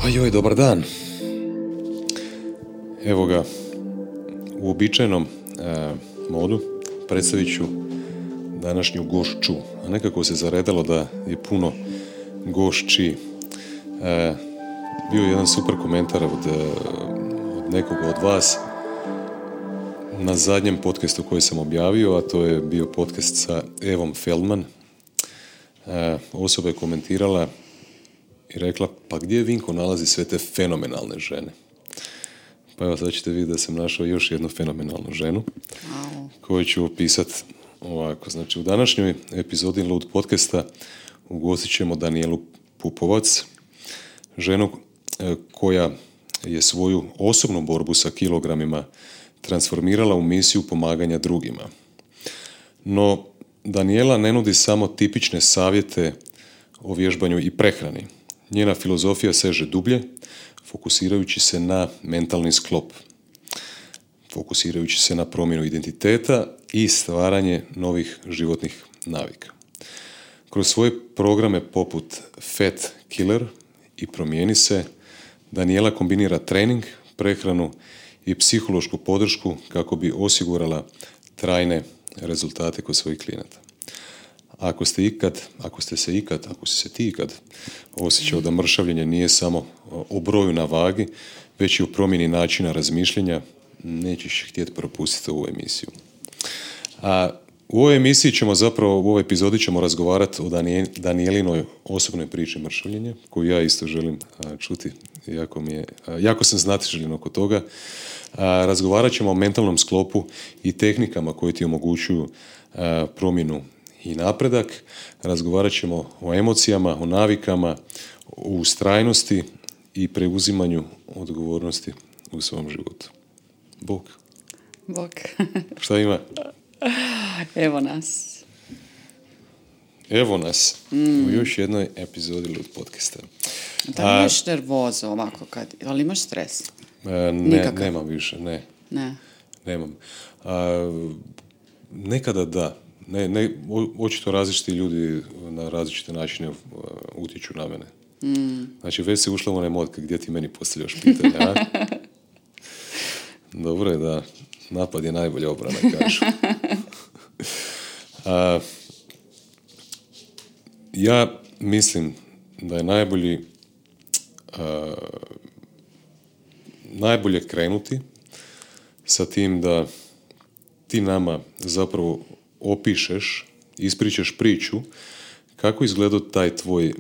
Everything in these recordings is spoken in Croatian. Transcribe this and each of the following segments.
Joj, dobar dan. Evo ga, u običajnom modu predstavit ću današnju gošću, a nekako se zaredalo da je puno gošći. Bio je jedan super komentar od nekoga od vas na zadnjem podcastu koji sam objavio, a to je bio podcast sa Evom Feldman. Osoba je komentirala i rekla, pa gdje Vinko nalazi sve te fenomenalne žene? Pa evo, sad ćete vidjeti da sam našao još jednu fenomenalnu ženu, koju ću opisati ovako. Znači, u današnjoj epizodi Lud podcasta ugostit ćemo Danijelu Pupovac, ženu koja je svoju osobnu borbu sa kilogramima transformirala u misiju pomaganja drugima. No, Danijela ne nudi samo tipične savjete o vježbanju i prehrani. Njena filozofija seže dublje, fokusirajući se na mentalni sklop, fokusirajući se na promjenu identiteta i stvaranje novih životnih navika. Kroz svoje programe poput Fat Killer i Promijeni se, Danijela kombinira trening, prehranu i psihološku podršku kako bi osigurala trajne rezultate kod svojih klijenata. Ako si se ti ikad osjećao da mršavljenje nije samo o broju na vagi, već i o promjeni načina razmišljanja, nećeš htjeti propustiti ovu emisiju. A u ovoj emisiji u ovoj epizodi ćemo razgovarati o Danijelinoj osobnoj priči mršavljenja, koju ja isto želim čuti, jako sam znatiželjen oko toga. Razgovarat ćemo o mentalnom sklopu i tehnikama koje ti omogućuju promjenu i napredak. Razgovarat ćemo o emocijama, o navikama, o ustrajnosti i preuzimanju odgovornosti u svom životu. Bog. Šta ima? Evo nas. U još jednoj epizodi Lud podcasta. Da li imaš nervozu ovako ali imaš stres? Nemam više, ne. Nemam. Nekada da. Očito različiti ljudi na različite načine utječu na mene. Znači, već si ušla u onaj mod gdje ti meni postavljaš pitanje, a? Dobro je da napad je najbolja obrana, kažu. Ja mislim da je najbolje krenuti sa tim da ti nama zapravo opišeš, ispričaš priču kako izgledao taj tvoj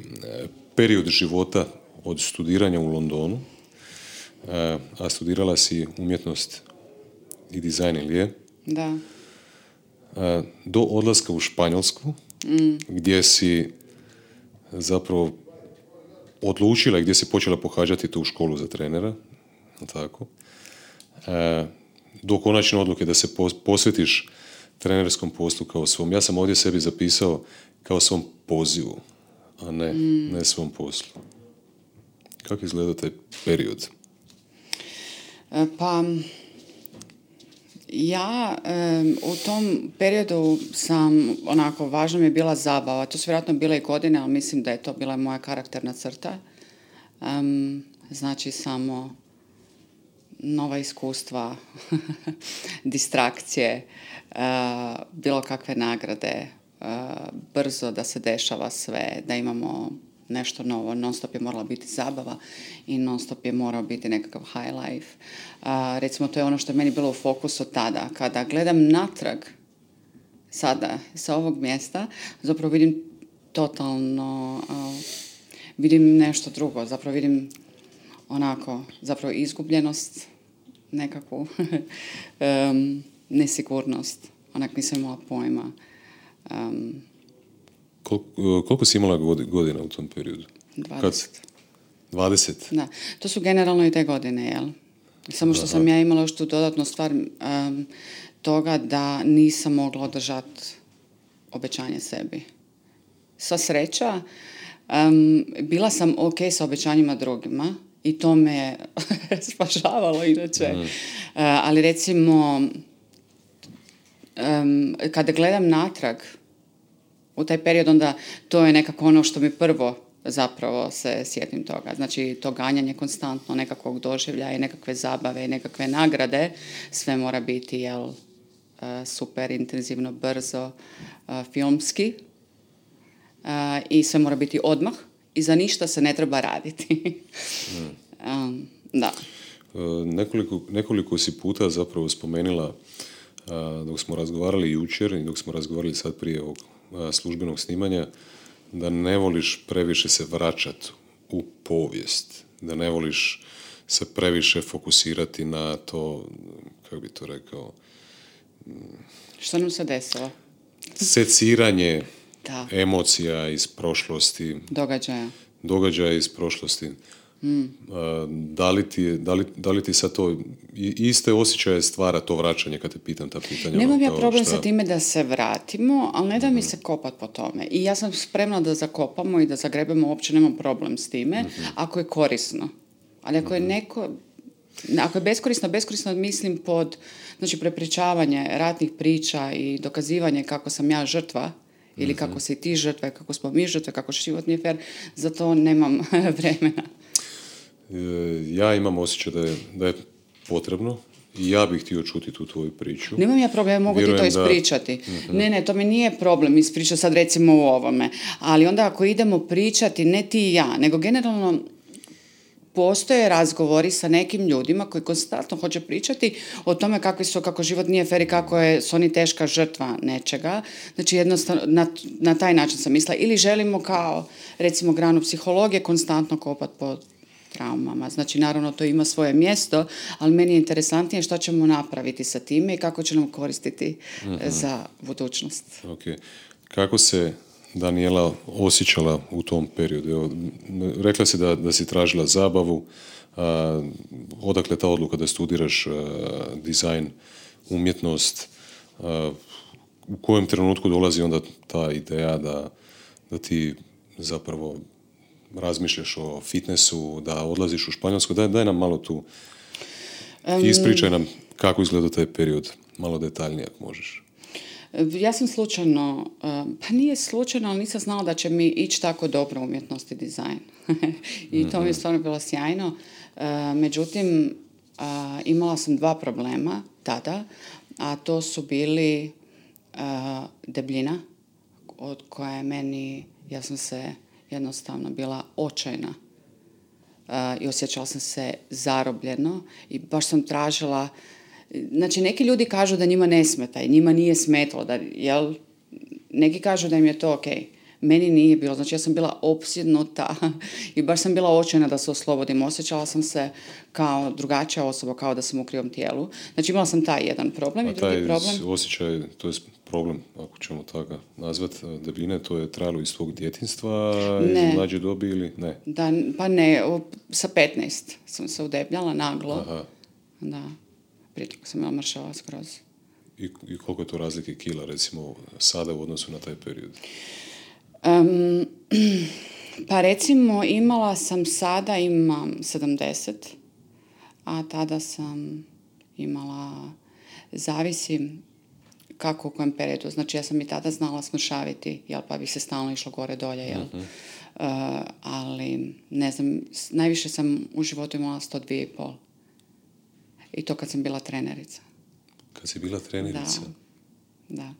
period života od studiranja u Londonu, a studirala si umjetnost i dizajn, ili je? Da. Do odlaska u Španjolsku, gdje si zapravo odlučila, gdje si počela pohađati tu školu za trenera, tako, do konačne odluke da se posvetiš trenerskom poslu kao svom. Ja sam ovdje sebi zapisao kao svom pozivu, a ne svom poslu. Kako izgleda taj period? Pa, ja u tom periodu sam, važno mi je bila zabava. To su vjerojatno bile i godine, ali mislim da je to bila moja karakterna crta. Znači, samo nova iskustva, distrakcije, bilo kakve nagrade, brzo da se dešava sve, da imamo nešto novo. Non stop je morala biti zabava i non stop je morao biti nekakav high life. Recimo, to je ono što je meni bilo u fokusu tada. Kada gledam natrag sada sa ovog mjesta, zapravo vidim totalno, vidim nešto drugo. Zapravo vidim zapravo izgubljenost, nekakvu nesigurnost. Nisam imala pojma. Koliko si imala godina u tom periodu? 20. 20? Da. To su generalno i te godine, jel? Samo što sam ja imala još tu dodatnu stvar toga da nisam mogla održati obećanje sebi. Sva sreća, bila sam ok sa obećanjima drugima i to me spašavalo inače. Ali recimo, kada gledam natrag u taj period, onda to je nekako ono što mi prvo zapravo se sjetim toga. Znači, to ganjanje konstantno nekakvog doživljaja i nekakve zabave i nekakve nagrade, sve mora biti, super intenzivno, brzo, filmski, i sve mora biti odmah i za ništa se ne treba raditi. Da. Nekoliko si puta zapravo spomenula, dok smo razgovarali jučer i dok smo razgovarali sad prije ovog službenog snimanja, da ne voliš previše se vraćati u povijest, da ne voliš se previše fokusirati na to, kako bi to rekao, što nam se desilo? Seciranje emocija iz prošlosti, događaja iz prošlosti. Da li ti sad to iste osjećaje stvara to vraćanje kad te pitam ta pitanja? Nemam ja problem sa time da se vratimo, ali ne da mi se kopat po tome. I ja sam spremna da zakopamo i da zagrebemo, uopće nemam problem s time, ako je korisno. Ali ako je ako je beskorisno mislim pod, znači, prepričavanje ratnih priča i dokazivanje kako sam ja žrtva, ili kako si ti žrtva, kako smo mi žrtve, kako život nije fer, za to nemam vremena. Ja imam osjećaj da je potrebno i ja bih htio čuti tu tvoju priču. Nemam ja problem, mogu ti to ispričati. Ne, to mi nije problem ispričati sad recimo u ovome. Ali onda ako idemo pričati, ne ti i ja, nego generalno postoje razgovori sa nekim ljudima koji konstantno hoće pričati o tome kako život nije fer i kako su oni teška žrtva nečega. Znači, jednostavno, na taj način sam mislila. Ili želimo kao, recimo, granu psihologije konstantno kopati po traumama. Znači, naravno, to ima svoje mjesto, ali meni je interesantnije što ćemo napraviti sa time i kako će nam koristiti za budućnost. Okay. Kako se Danijela osjećala u tom periodu? Evo, rekla si da si tražila zabavu. Odakle ta odluka da studiraš dizajn, umjetnost? U kojem trenutku dolazi onda ta ideja da ti zapravo razmišljaš o fitnessu, da odlaziš u Španjolsku? Daj nam malo tu. Ispričaj nam kako izgleda taj period. Malo detaljnije ako možeš. Ja sam slučajno, pa nije slučajno, ali nisam znala da će mi ići tako dobro umjetnost i dizajn. I to mi je stvarno bilo sjajno. Međutim, imala sam 2 problema tada, a to su bili debljina, od koje ja sam se jednostavno bila očajna i osjećala sam se zarobljeno i baš sam tražila. Znači, neki ljudi kažu da njima ne smeta i njima nije smetalo, neki kažu da im je to ok. Meni nije bilo, znači ja sam bila opsjednuta i baš sam bila očajna da se oslobodim. Osjećala sam se kao drugačija osoba, kao da sam u krivom tijelu. Znači, imala sam taj jedan problem. A taj osjećaj, to je problem, ako ćemo tako nazvati, debljine, to je trajalo iz tvog djetinjstva, iz mlađe dobi ili ne? Pa ne, sa 15 sam se udebljala naglo. Aha. Da. Prije toga sam imala mršava skroz. I koliko je to razlike kila, recimo, sada u odnosu na taj period? Pa recimo, sada imam 70, a tada sam imala, zavisi kako u kojem periodu. Znači, ja sam i tada znala smršaviti, pa bi se stalno išlo gore dolje, ali, ne znam, najviše sam u životu imala 102,5. I to kad sam bila trenerica. Kad si bila trenerica? Da.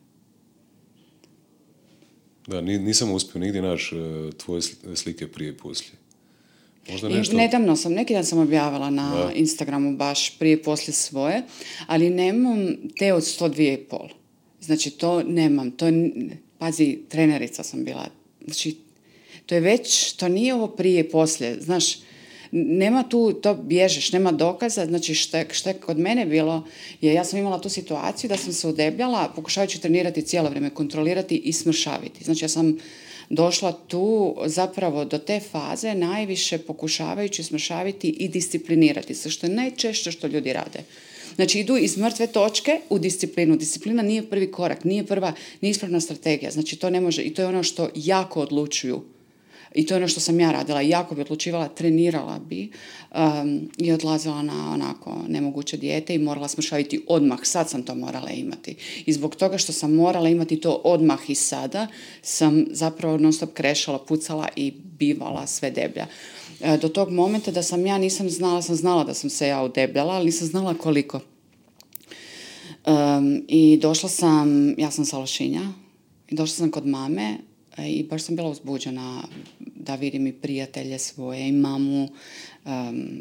Da, nisam uspio nigdje naći tvoje slike prije i poslije. Možda nešto... Nedavno neki dan sam objavila na Instagramu baš prije i poslije svoje, ali nemam te od 102,5. Znači, to nemam. Pazi, trenerica sam bila. Znači, to nije ovo prije i poslije. Znaš, nema tu, to bježeš, nema dokaza. Znači, što je kod mene bilo, ja sam imala tu situaciju da sam se udebljala, pokušavajući trenirati cijelo vrijeme, kontrolirati i smršaviti. Znači, ja sam došla tu zapravo do te faze najviše pokušavajući smršaviti i disciplinirati se, što je najčešće što ljudi rade. Znači, idu iz mrtve točke u disciplinu. Disciplina nije prvi korak, nije ispravna strategija. Znači, to ne može, i to je ono što jako odlučuju I to je ono što sam ja radila. Jako bi odlučivala, trenirala bi i odlazila na onako nemoguće dijete i morala smršaviti odmah. Sad sam to morala imati. I zbog toga što sam morala imati to odmah i sada, sam zapravo non stop krešala, pucala i bivala sve deblja. Do tog momenta da sam ja nisam znala, sam znala da sam se ja udebljala, ali nisam znala koliko. I došla sam, ja sam sa Lošinja, i došla sam kod mame i baš sam bila uzbuđena da vidim i prijatelje svoje i mamu.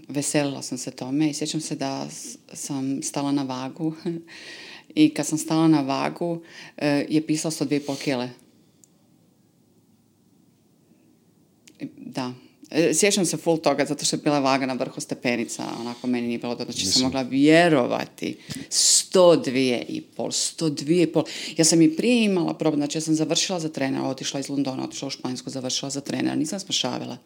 Veselila sam se tome i sjećam se da sam stala na vagu i kad sam stala na vagu je pisalo 102,5 kile. Da. Sjećam se full toga zato što je bila vaga na vrhu stepenica, onako meni nije bilo dobro, znači sam mogla vjerovati 102,5. Ja sam i prije imala problem, znači ja sam završila za trenera, otišla iz Londona, otišla u Španjsku, završila za trenera, nisam smršavila.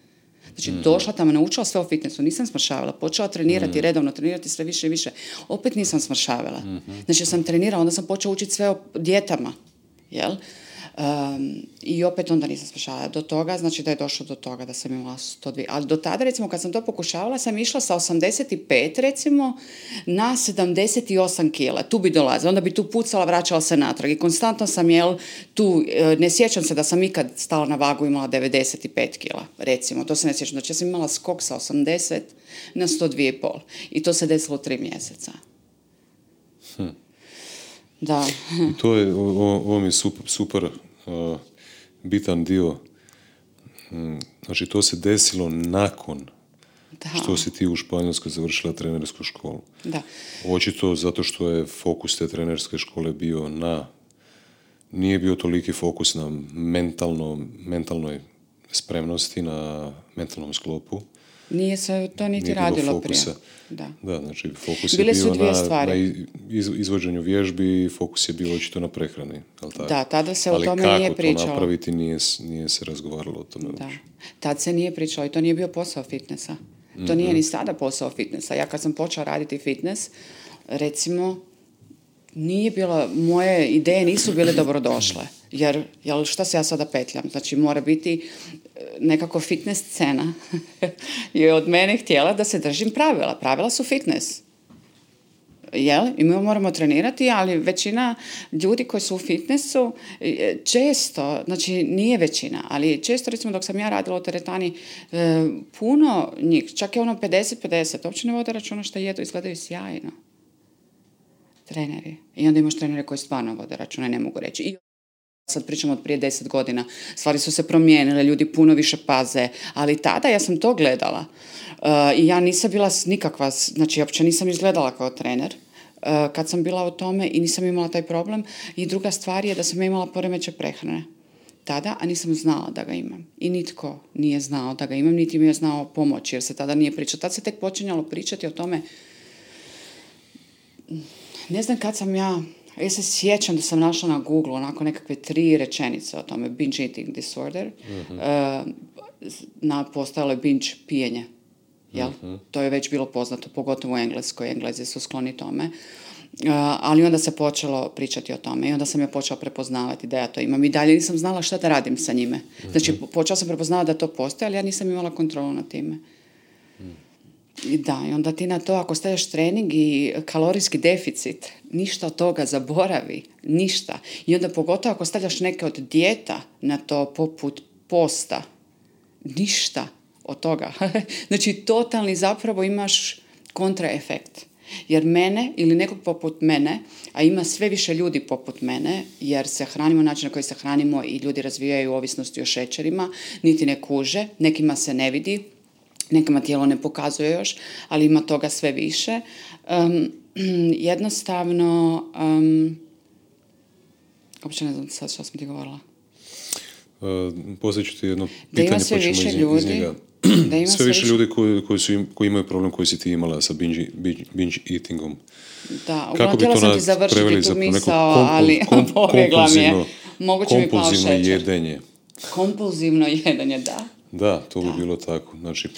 Znači došla tamo, naučila sve o fitnessu, nisam smršavila, počela trenirati redovno, trenirati sve više i više, opet nisam smršavila. Znači ja sam trenirala, onda sam počela učiti sve o dijetama, jel? I opet onda nisam smršavala do toga, znači da je došlo do toga da sam imala 102. Ali do tada, recimo, kad sam to pokušavala, sam išla sa 85, recimo, na 78 kila. Tu bi dolazila, onda bi tu pucala, vraćala se natrag. I konstantno sam, tu, ne sjećam se da sam ikad stala na vagu imala 95 kila, recimo. To se ne sjećam. Znači, ja sam imala skok sa 80 na 102,5. I to se desilo 3 mjeseca. Da. To je, ovo mi je super bitan dio. Znači, to se desilo nakon što si ti u Španjolskoj završila trenersku školu. Da. Očito zato što je fokus te trenerske škole bio nije bio toliki fokus na mentalnoj spremnosti, na mentalnom sklopu. Nije se to niti radilo prije. Da, znači fokus je bio na izvođenju vježbi, fokus je bio očito na prehrani. Da, tada se o tome nije pričalo. Ali kako to napraviti, nije se razgovaralo o tome. Da. Tad se nije pričalo i to nije bio posao fitnessa. To nije ni sada posao fitnessa. Ja kad sam počela raditi fitness, recimo, nije bilo, moje ideje nisu bile dobrodošle. Jer šta se ja sada petljam? Znači, mora biti nekako fitness scena je od mene htjela da se držim pravila. Pravila su fitness. I mi moramo trenirati, ali većina ljudi koji su u fitnessu često, znači nije većina, ali često, recimo, dok sam ja radila u teretani, puno njih, čak je 50-50, uopće ne vode računa što jedu, izgledaju sjajno. Treneri. I onda imaš trenere koji stvarno vode računa, ne mogu reći. I sad pričamo od prije 10 godina. Stvari su se promijenile, ljudi puno više paze, ali tada ja sam to gledala. I ja nisam bila nikakva, znači uopće nisam izgledala kao trener kad sam bila u tome i nisam imala taj problem. I druga stvar je da sam imala poremećaj prehrane tada, a nisam znala da ga imam. I nitko nije znao da ga imam, niti mi je znao pomoći, jer se tada nije pričalo. Tad se tek počinjalo pričati o tome. Ne znam kad sam ja se sjećam da sam našla na Google onako nekakve 3 rečenice o tome, binge eating disorder, postojalo je binge pijenje. Jel? To je već bilo poznato, pogotovo u Engleskoj. Englezi su skloni tome. Ali onda se počelo pričati o tome i onda sam ja počela prepoznavati da ja to imam. I dalje nisam znala šta da radim sa njime. Znači, počela sam prepoznavati da to postoji, ali ja nisam imala kontrolu nad time. I onda ti na to, ako stavljaš trening i kalorijski deficit, ništa od toga zaboravi, ništa. I onda pogotovo ako stavljaš neke od dijeta na to, poput posta, ništa od toga. Znači, totalni zapravo imaš kontraefekt. Jer mene ili nekog poput mene, a ima sve više ljudi poput mene, jer se hranimo način na koji se hranimo i ljudi razvijaju ovisnosti o šećerima, niti ne kuže, nekima se ne vidi, nekima tijelo ne pokazuje još, ali ima toga sve više. Jednostavno, uopće ne znam sad što sam ti govorila. Poslije ću ti jedno pitanje, pa ćemo iz njega. Sve više ljudi koji imaju problem koji si ti imala sa binge eatingom. Da, htjela sam ti završiti tu misao, ali pobjegla mi je. Moguće mi pao šećer. Kompulzivno jedenje. Kompulzivno jedenje, da. Da, to bi bilo tako. Znači,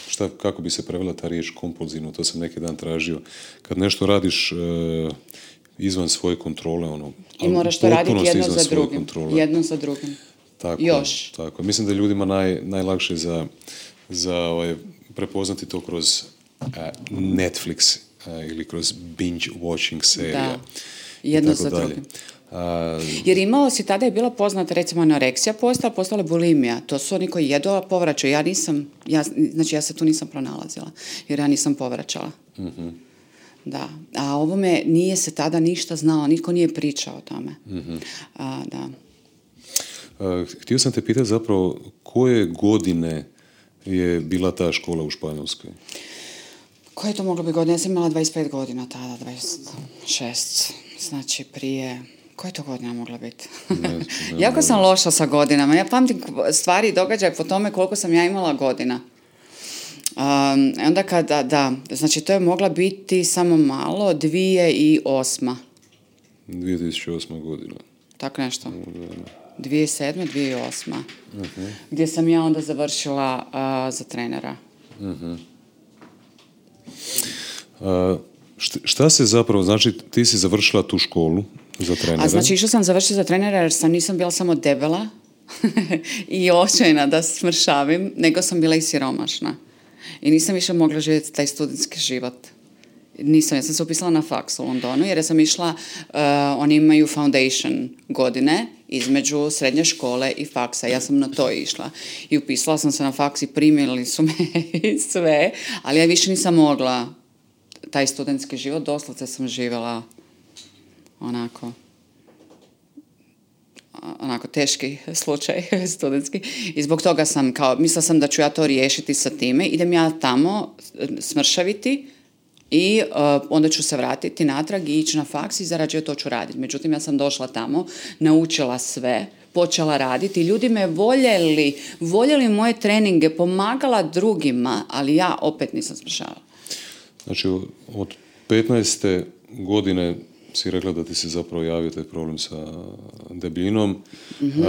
kako bi se prevela ta riječ kompulzivno, to sam neki dan tražio. Kad nešto radiš izvan svoje kontrole, i moraš to raditi jedno za drugim. još. Tako. Mislim da je ljudima najlakše za prepoznati to kroz Netflix ili kroz binge watching serija. Da, jedno za drugim. Jer imao si, tada je bila poznata recimo anoreksija postala je bulimija. To su oni koji jedu, a povraćaju. Ja se tu nisam pronalazila, jer ja nisam povraćala. Mm-hmm. Da. A ovome nije se tada ništa znao, niko nije pričao o tome. Mm-hmm. Da. Htio sam te pitati zapravo koje godine je bila ta škola u Španjolskoj? Koje je to moglo biti godine? Ja sam imala 25 godina tada, 26. Znači prije... Koje to godina mogla biti? Jako sam loša sa godinama. Ja pamtim stvari i događaje po tome koliko sam ja imala godina. Onda kada, znači to je mogla biti samo malo, 2008. 2008. godina. Tako nešto. 2007. 2008. Uh-huh. Gdje sam ja onda završila za trenera. Uh-huh. Šta se zapravo, znači ti si završila tu školu za trenera? A znači išla sam završiti za trenera jer nisam bila samo debela i očajna da smršavim, nego sam bila i siromašna. I nisam više mogla živjeti taj studentski život. Ja sam se upisala na faks u Londonu jer sam išla, oni imaju foundation godine između srednje škole i faksa. Ja sam na to išla. I upisala sam se na faks i primili su me i sve, ali ja više nisam mogla taj studentski život. Doslovce sam živjela onako teški slučaj studentski i zbog toga sam mislila sam da ću ja to riješiti sa time, idem ja tamo smršaviti i onda ću se vratiti natrag i ići na faks i zarađuju to ću raditi. Međutim, ja sam došla tamo, naučila sve, počela raditi, ljudi me voljeli moje treninge, pomagala drugima, ali ja opet nisam smršavala. Znači, od 15. godine si rekla da ti se zapravo javio taj problem sa debljinom. Mm-hmm.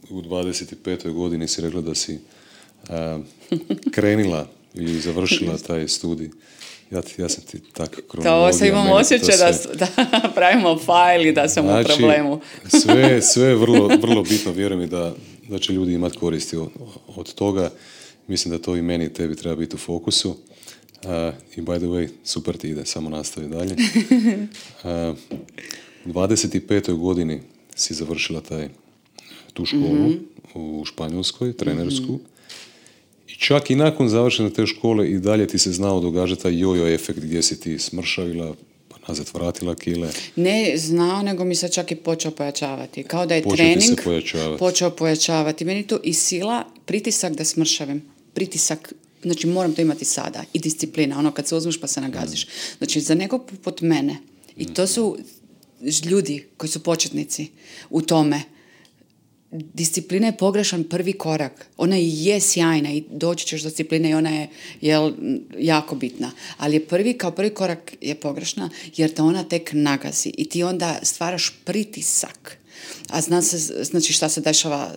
U 25. godini si rekla da si krenila i završila taj studij. Ja sam ti tako kronologija. To imam osjećaj da pravimo fajl i da sam u problemu. sve je vrlo bitno, vjerujem mi da će ljudi imati koristi od toga. Mislim da to i meni i tebi treba biti u fokusu. I by the way, super ti ide, samo nastavi dalje. U 25. godini si završila tu školu mm-hmm. u Španjolskoj, trenersku. Mm-hmm. I čak i nakon završene te škole i dalje ti se znao događati taj jojo efekt gdje si ti smršavila, pa nazad vratila kile. Ne znao, nego mi se čak i počeo pojačavati. Kao da je trening počeo pojačavati. Meni to i sila, pritisak da smršavim. Pritisak, znači moram to imati sada. I disciplina, ono kad se uzmeš pa se nagaziš. Znači za nekog poput mene, i to su ljudi koji su početnici u tome, disciplina je pogrešan prvi korak. Ona je sjajna i doći ćeš do discipline i ona je jako bitna. Ali je prvi korak je pogrešna jer te ona tek nagazi i ti onda stvaraš pritisak. A znači šta se dešava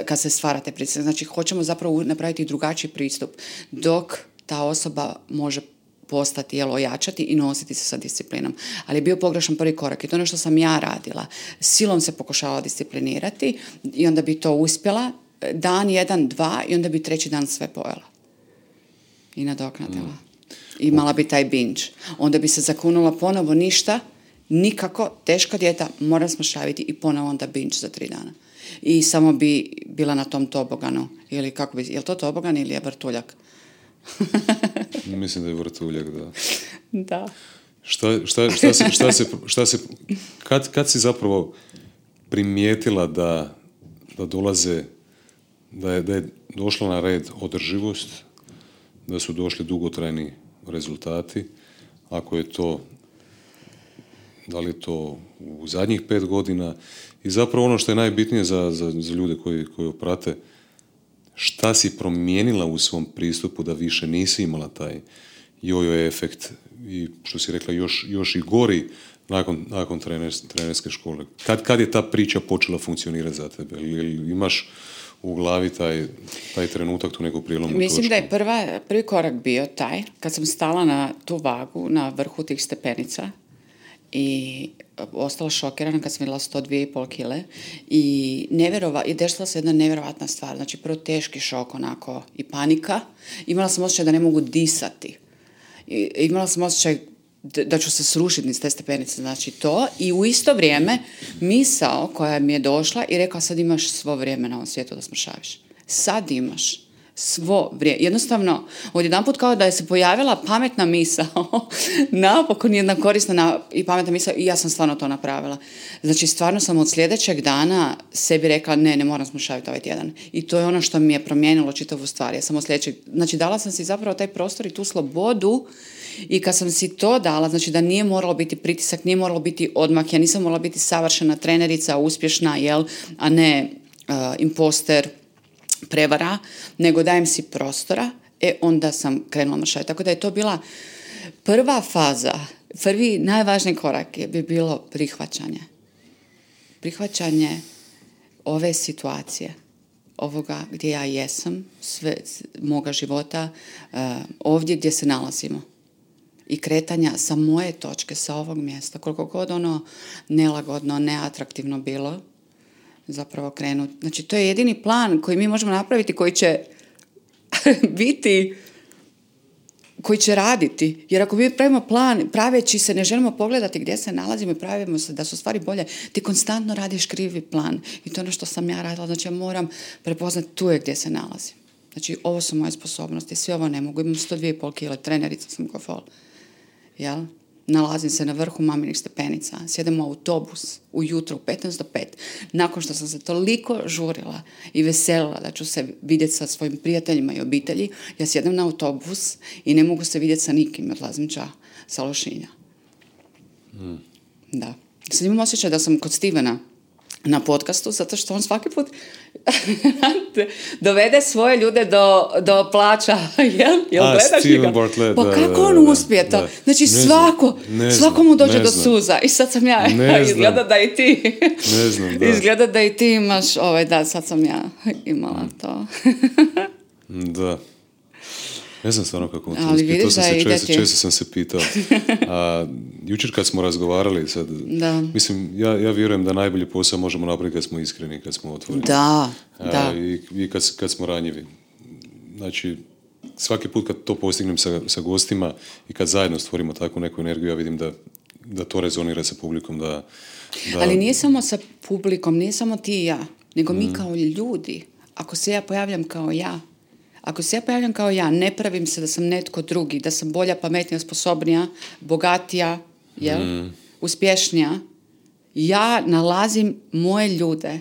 kad se stvara te pritisak. Znači hoćemo zapravo napraviti drugačiji pristup dok ta osoba može postati, ojačati i nositi se sa disciplinom. Ali je bio pogrešan prvi korak i to je ono što sam ja radila. Silom se pokušavala disciplinirati i onda bi to uspjela dan, 1, 2 i onda bi 3. dan sve pojela. I nadoknadila. Imala bi taj binge. Onda bi se zakunula ponovo ništa, nikako, teška dijeta, moram smršaviti i ponovo onda binge za 3 dana. I samo bi bila na tom toboganu. Ili kako bi, je li to tobogan ili je vrtuljak? Mislim da je vrtuljak, da. Da. Kad si zapravo primijetila da dolaze, da je došla na red održivost, da su došli dugotrajni rezultati, ako je to, da li je to u zadnjih 5 godina i zapravo ono što je najbitnije za ljude koji prate, šta si promijenila u svom pristupu da više nisi imala taj jojo efekt i što si rekla još i gori nakon trenerske škole. Kad je ta priča počela funkcionirati za tebe? Ili imaš u glavi taj trenutak, tu neku prijelomnu točku? Mislim da je prvi korak bio taj, kad sam stala na tu vagu, na vrhu tih stepenica i ostala šokirana kad sam vidjela 102,5 kile i desila se jedna nevjerovatna stvar. Znači, prvo teški šok onako i panika. Imala sam osjećaj da ne mogu disati. Imala sam osjećaj da ću se srušiti niz te stepenice, znači to. I u isto vrijeme misao koja mi je došla i rekla, sad imaš svo vrijeme na ovom svijetu da smršaviš. Sad imaš svo vrijeme. Jednostavno, odjedanput kao da je se pojavila pametna misao, napokon jedna korisna i pametna misao, i ja sam stvarno to napravila. Znači, stvarno sam od sljedećeg dana sebi rekla, ne moram smršaviti ovaj tjedan. I to je ono što mi je promijenilo čitavu stvar. Ja sam od sljedećeg, znači, dala sam si zapravo taj prostor i tu slobodu. I kad sam si to dala, znači da nije moralo biti pritisak, nije moralo biti odmak, ja nisam morala biti savršena trenerica, uspješna, a ne imposter, prevara, nego dajem si prostora, onda sam krenula mršaviti. Tako da je to bila prva faza, prvi najvažniji korak bi bilo prihvaćanje. Prihvaćanje ove situacije, ovoga gdje ja jesam, sve moga života, ovdje gdje se nalazimo. I kretanja sa moje točke, sa ovog mjesta, koliko god ono nelagodno, neatraktivno bilo, zapravo krenuti. Znači, to je jedini plan koji mi možemo napraviti, koji će biti, koji će raditi. Jer ako mi pravimo plan, praveći se, ne želimo pogledati gdje se nalazimo i pravimo se da su stvari bolje, ti konstantno radiš krivi plan. I to je ono što sam ja radila. Znači, ja moram prepoznati tu je gdje se nalazim. Znači, ovo su moje sposobnosti, sve ovo ne mogu. Imam 102,5 kile, trenerica sam ko fol. Jel? Nalazim se na vrhu maminih stepenica, sjedem u autobus ujutro u 15 do 5, nakon što sam se toliko žurila i veselila da ću se vidjeti sa svojim prijateljima i obitelji, ja sjedem na autobus i ne mogu se vidjeti sa nikim, odlazim sa Lošinja. Da. Sad imam osjećaj da sam kod Stevena na podcastu, zato što on svaki put dovede svoje ljude do plaća. Jel gledaš Steven Bartlett, pa kako on uspije to? Znači svako mu dođe do suza. I sad sam ja, izgleda da i ti. Ne znam, da. Izgleda da i ti imaš, sad sam ja imala to. Da. Ne znam stvarno kako to uspije. To sam se često sam se pitao. Jučer kad smo razgovarali, sad, mislim, ja vjerujem da najbolji posao možemo napraviti kad smo iskreni, kad smo otvoreni. Da. I kad smo ranjivi. Znači, svaki put kad to postignem sa gostima i kad zajedno stvorimo takvu neku energiju, ja vidim da to rezonira sa publikom. Ali nije samo sa publikom, nije samo ti i ja, nego mi kao ljudi. Ako se ja pojavljam kao ja, ne pravim se da sam netko drugi, da sam bolja, pametnija, sposobnija, bogatija, uspješnija. Ja nalazim moje ljude.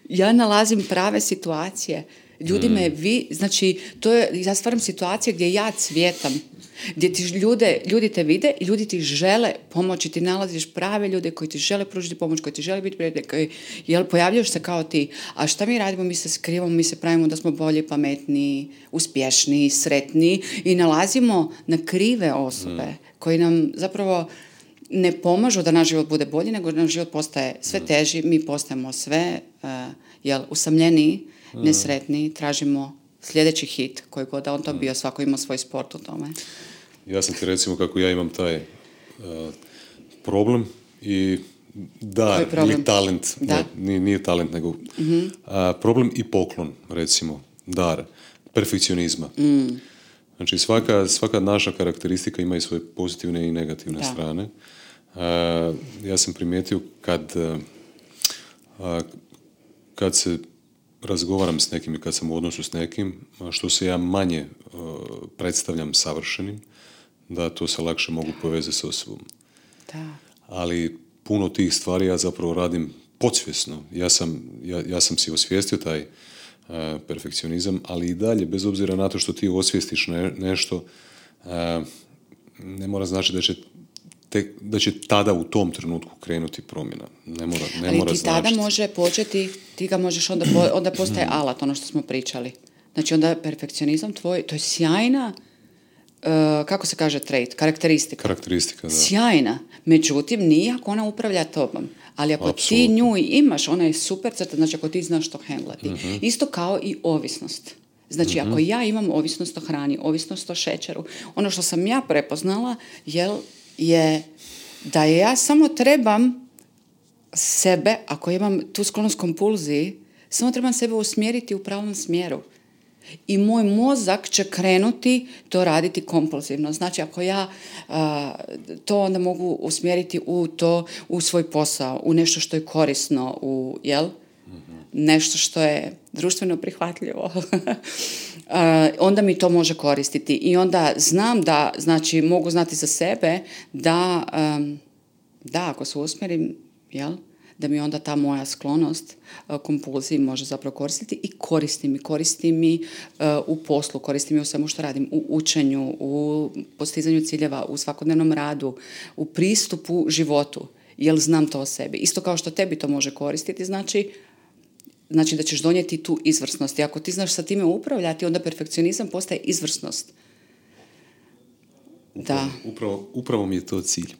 Ja nalazim prave situacije. Znači, ja stvaram situacije gdje ja cvjetam, gdje ti ljudi te vide i ljudi ti žele pomoći, ti nalaziš prave ljude koji ti žele pružiti pomoć, koji ti žele biti prijatelji, pojavljaš se kao ti. A šta mi radimo? Mi se skrivamo, mi se pravimo da smo bolji, pametniji, uspješniji, sretniji i nalazimo na krive osobe koji nam zapravo ne pomažu da naš život bude bolji, nego naš život postaje sve teži, mi postajemo sve usamljeniji, nesretniji, tražimo sljedeći hit, koji god da on to bio, svako ima svoj sport u tome. Ja sam ti recimo kako ja imam taj problem i dar ili talent, nije talent, nego problem i poklon, recimo, dar, perfekcionizma. Znači svaka naša karakteristika ima i svoje pozitivne i negativne strane. Ja sam primijetio kad se razgovaram s nekim i kad sam u odnosu s nekim, što se ja manje predstavljam savršenim, da to se lakše mogu povezati s osobom. Da. Ali puno tih stvari ja zapravo radim podsvjesno. Ja sam si osvijestio taj perfekcionizam, ali i dalje, bez obzira na to što ti osvijestiš nešto, ne mora znači da će tada u tom trenutku krenuti promjena. Ne mora ali ti tada može početi, ti ga možeš onda postaje alat, ono što smo pričali. Znači onda perfekcionizam tvoj, to je sjajna, kako se kaže trait, karakteristika. Karakteristika, da. Sjajna. Međutim, nije ako ona upravlja tobom. Ali ako ti nju imaš, ona je super crta, znači ako ti znaš to hendlati. Isto kao i ovisnost. Znači, ako ja imam ovisnost o hrani, ovisnost o šećeru, ono što sam ja prepoznala je da ja samo trebam sebe, ako imam tu sklonost kompulziji, samo trebam sebe usmjeriti u pravom smjeru. I moj mozak će krenuti to raditi kompulzivno. Znači, ako ja to onda mogu usmjeriti u svoj posao, u nešto što je korisno, nešto što je društveno prihvatljivo, onda mi to može koristiti. I onda znam da, znači, mogu znati za sebe da ako se usmjerim, da mi onda ta moja sklonost kompulziji može zapravo koristiti i koristi mi u poslu, koristi mi u svemu što radim, u učenju, u postizanju ciljeva, u svakodnevnom radu, u pristupu životu, jer znam to o sebi. Isto kao što tebi to može koristiti, znači da ćeš donijeti tu izvrsnost. I ako ti znaš sa time upravljati, onda perfekcionizam postaje izvrsnost. Upravo mi je to cilj.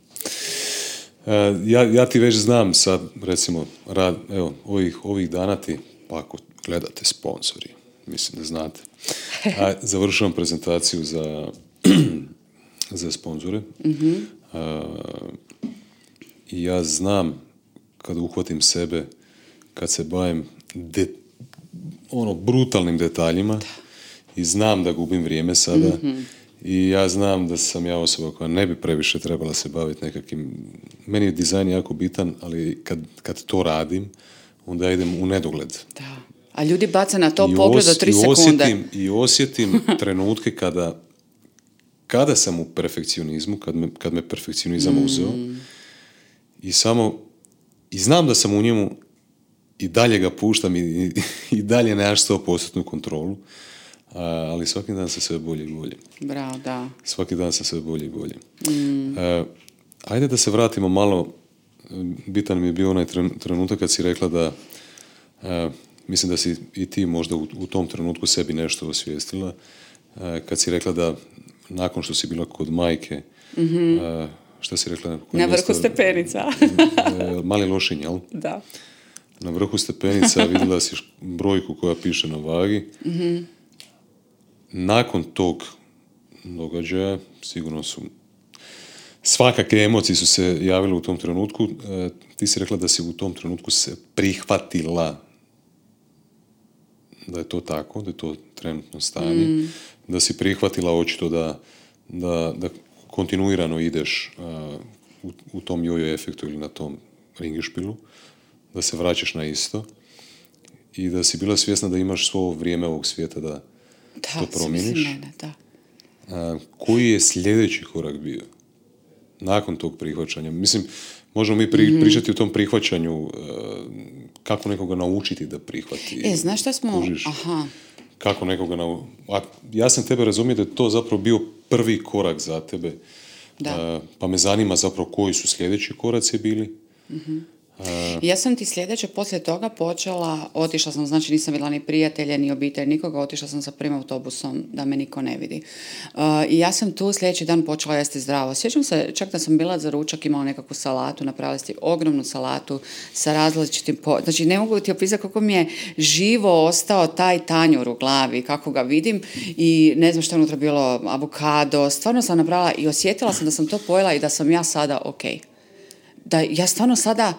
Ja ti već znam sad, recimo, ovih dana ti, pa ako gledate sponzori, mislim da znate, završavam prezentaciju za sponzore. Mm-hmm. I ja znam kad uhvatim sebe, kad se bavim brutalnim detaljima i znam da gubim vrijeme sada. Mm-hmm. I ja znam da sam ja osoba koja ne bi previše trebala se baviti nekakvim... Meni je dizajn jako bitan, ali kad to radim, onda ja idem u nedogled. Da. A ljudi baca na to pogled do 3 sekunde. I osjetim trenutke kada sam u perfekcionizmu, kad me perfekcionizam uzeo. I znam da sam u njemu i dalje ga puštam i dalje nemaš 100% kontrolu. Ali svaki dan se sve bolje i bolje. Bravo, da. Svaki dan se sve bolje i bolje. Ajde da se vratimo malo, bitan mi je bio onaj trenutak kad si rekla da, mislim da si i ti možda u tom trenutku sebi nešto osvijestila, kad si rekla da nakon što si bila kod majke, šta si rekla? Na vrhu stepenica. Mali Lošinj, jel? Da. Na vrhu stepenica vidjela si brojku koja piše na vagi. Mm-hmm. Nakon tog događaja, sigurno su svakakve emocije su se javile u tom trenutku. Ti si rekla da si u tom trenutku se prihvatila da je to tako, da je to trenutno stanje, da si prihvatila očito da kontinuirano ideš u tom jojo efektu ili na tom ringišpilu, da se vraćaš na isto i da si bila svjesna da imaš svo vrijeme ovog svijeta da to promijeniš. Koji je sljedeći korak bio nakon tog prihvaćanja? Mislim, možemo mi pričati o tom prihvaćanju, kako nekoga naučiti da prihvati. Znaš šta smo... Kužiš, kako nekoga ja sam tebe razumio da je to zapravo bio prvi korak za tebe. Pa me zanima zapravo koji su sljedeći koraci bili. Mm-hmm. Ja sam ti sljedeće poslije toga otišla sam, znači nisam vidjela ni prijatelje, ni obitelj, nikoga, otišla sam sa prvim autobusom da me niko ne vidi. I ja sam tu sljedeći dan počela jesti zdravo. Sjećam se čak da sam bila za ručak, imala nekakvu salatu, napravila ste ogromnu salatu sa različitim, znači ne mogu ti opisati kako mi je živo ostao taj tanjur u glavi, kako ga vidim i ne znam što je unutra bilo, avokado, stvarno sam napravila i osjetila sam da sam to pojela i da sam ja sada ok. Da ja stvarno sada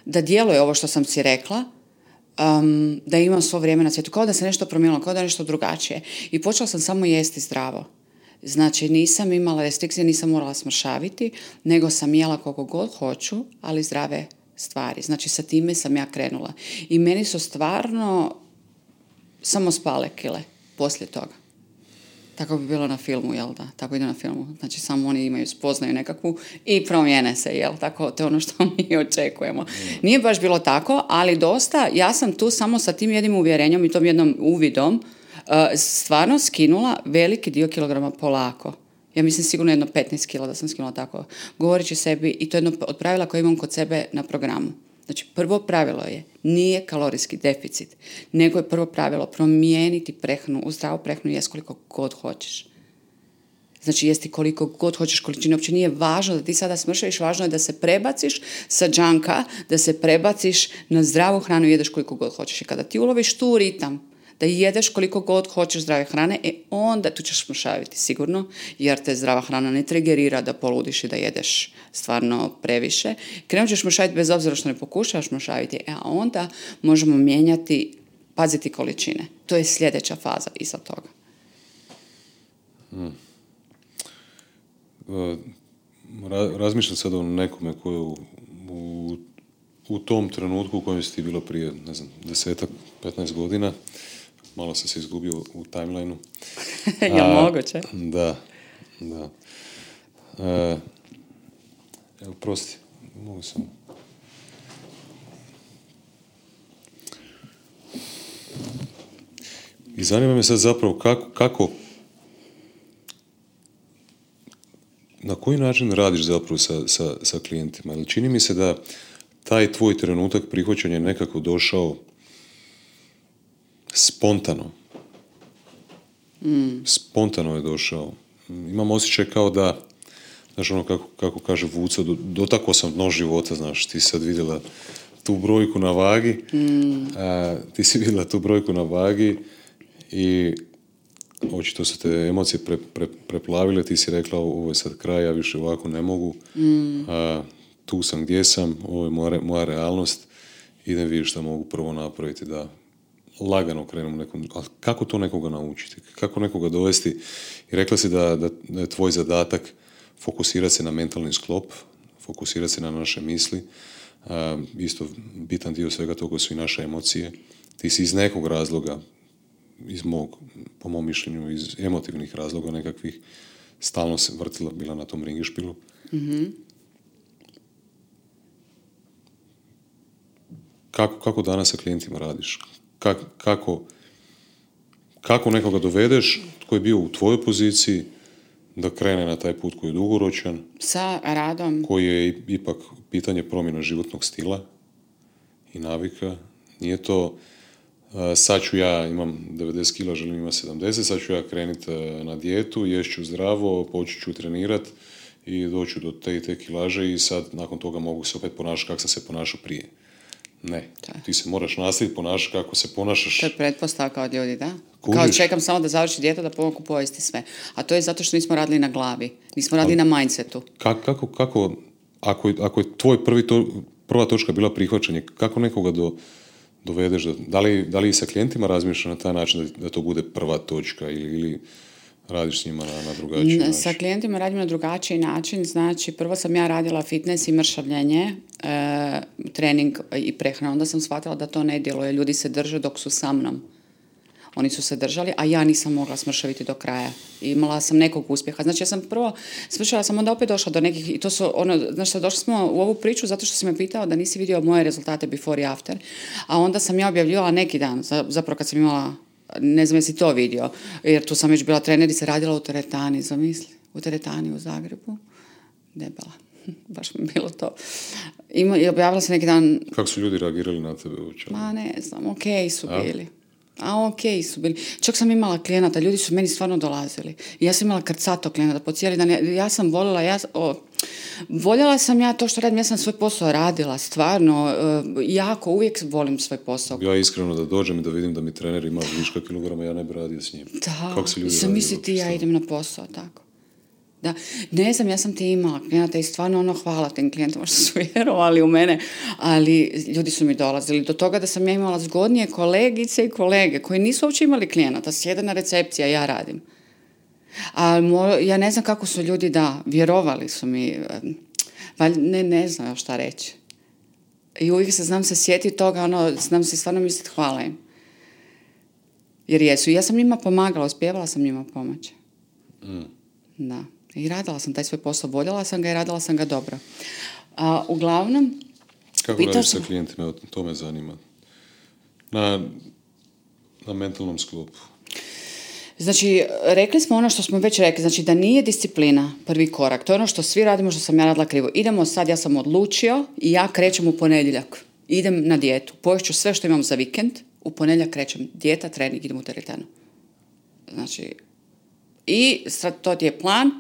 da djeluje ovo što sam si rekla, da imam svo vrijeme na svijetu, kao da se nešto promijenilo, kao da je nešto drugačije. I počela sam samo jesti zdravo. Znači, nisam imala restrikcije, nisam morala smršaviti, nego sam jela koliko god hoću, ali zdrave stvari. Znači, sa time sam ja krenula. I meni su stvarno samo spale kile poslije toga. Tako bi bilo na filmu, jel da? Tako ide na filmu. Znači, samo oni imaju spoznaju nekakvu i promijene se, jel? Tako, to je ono što mi očekujemo. Nije baš bilo tako, ali dosta, ja sam tu samo sa tim jednim uvjerenjem i tom jednom uvidom stvarno skinula veliki dio kilograma polako. Ja mislim sigurno 15 kila da sam skinula tako. Govoreći sebi, i to je jedno od pravila koje imam kod sebe na programu. Znači, prvo pravilo je, nije kalorijski deficit, nego je prvo pravilo promijeniti prehranu, u zdravu prehranu jesti koliko god hoćeš. Znači, jesti koliko god hoćeš količine, uopće nije važno da ti sada smršaviš, važno je da se prebaciš sa džanka, da se prebaciš na zdravu hranu i jedeš koliko god hoćeš. I kada ti uloviš tu ritam, da jedeš koliko god hoćeš zdrave hrane, onda tu ćeš mršaviti sigurno, jer te zdrava hrana ne trigerira da poludiš i da jedeš stvarno previše. Krenut ćeš mršaviti bez obzira što ne pokušavaš mršaviti, a onda možemo mijenjati, paziti količine. To je sljedeća faza iza toga. Razmišljam sad o nekome koji u tom trenutku u kojem si ti bilo prije, 10-15 godina, malo sam se izgubio u timelineu. Ja moguće. Da. Evo, prosti, mogu sam. I zanima me sad zapravo kako na koji način radiš zapravo sa klijentima? Ali čini mi se da taj tvoj trenutak prihvaćanja je nekako došao spontano. Spontano je došao. Imam osjećaj kao da, znaš ono kako kaže Vuco, dotakao sam dno života, znaš, ti sad vidjela tu brojku na vagi, ti si vidjela tu brojku na vagi i očito su te emocije preplavile, ti si rekla ovo je sad kraj, ja više ovako ne mogu, tu sam gdje sam, ovo je moja realnost, idem vidjeti šta mogu prvo napraviti da lagano krenemo nekom, ali kako to nekoga naučiti, kako nekoga dovesti, i rekla si da je tvoj zadatak fokusirati se na mentalni sklop, fokusirati se na naše misli, isto bitan dio svega toga su i naše emocije, ti si iz nekog razloga, po mom mišljenju, iz emotivnih razloga nekakvih, stalno se vrtila, bila na tom ringišpilu. Mm-hmm. Kako danas sa klijentima radiš? Kako nekoga dovedeš koji je bio u tvojoj poziciji da krene na taj put koji je dugoročan? Sa radom. Koji je ipak pitanje promjena životnog stila i navika. Nije to sad ću ja, imam 90 kila, želim imati 70, sad ću ja krenuti na dijetu, ješću zdravo, počet ću trenirati i doću do te i te kilaže i sad nakon toga mogu se opet ponašati kako sam se ponašao prije. Ne, ti se moraš nastaviti ponašati kako se ponašaš. To je pretpostavka od ljudi, da? Kužiš? Kao čekam samo da završi dijeta da pomogu pojesti sve. A to je zato što nismo radili na glavi, nismo radili na mindsetu. Kako ako je tvoj prva točka bila prihvaćanje, kako nekoga dovedeš, da li sa klijentima razmišljaš na taj način da to bude prva točka ili radiš s njima na drugačiji način? Sa klijentima radim na drugačiji način, znači prvo sam ja radila fitness i mršavljenje, trening i prehranu, onda sam shvatila da to ne djeluje, ljudi se drže dok su sa mnom. Oni su se držali, a ja nisam mogla smršaviti do kraja. Imala sam nekog uspjeha. Znači, ja sam prvo smršala, sam onda opet došla do nekih, i to su znači, došli smo u ovu priču zato što si me pitao da nisi vidio moje rezultate before i after. A onda sam ja objavljivala neki dan, zapravo kad sam imala, ne znam jesi to vidio, jer tu sam već bila trenerica, radila u teretani, zamisli, u teretani u Zagrebu, debela. Baš mi bilo to. I objavila sam neki dan. Kako su ljudi reagirali na tebe uopće? Ma ne znam, okej su bili. Okej su bili. Čak sam imala klijenata, ljudi su meni stvarno dolazili. Ja sam imala krcato klijenata po cijeli dan. Ja sam voljela sam ja to što radim, ja sam svoj posao radila, stvarno, jako, uvijek volim svoj posao. Ja iskreno da dođem i da vidim da mi trener ima viška kilograma, ja ne bi radio s njim. Da, kako se ljudi sam misliti ja idem na posao, tako. Da, ne znam, ja sam ti imala klijenata i stvarno hvala tim klijentima što su vjerovali u mene, ali ljudi su mi dolazili do toga da sam ja imala zgodnije kolegice i kolege koji nisu uopće imali klijenata, sjede na recepciji, a ja radim. A ja ne znam kako su ljudi, vjerovali su mi, ne znam šta reći. I uvijek znam se sjetiti toga, znam se stvarno misliti hvala im. Jer jesu, ja sam njima pomagala, uspijevala sam njima pomoći. Da. I radila sam taj svoj posao, voljela sam ga i radila sam ga dobro. Uglavnom... Kako radiš sa klijentima? To me zanima. Na mentalnom sklopu. Znači, rekli smo ono što smo već rekli, znači da nije disciplina prvi korak. To je ono što svi radimo, što sam ja radila krivo. Idemo sad, ja sam odlučio i ja krećem u ponedjeljak. Idem na dijetu. Poješću sve što imam za vikend. U ponedjeljak krećem dijeta, trening, idem u teretanu. Znači... I to ti je plan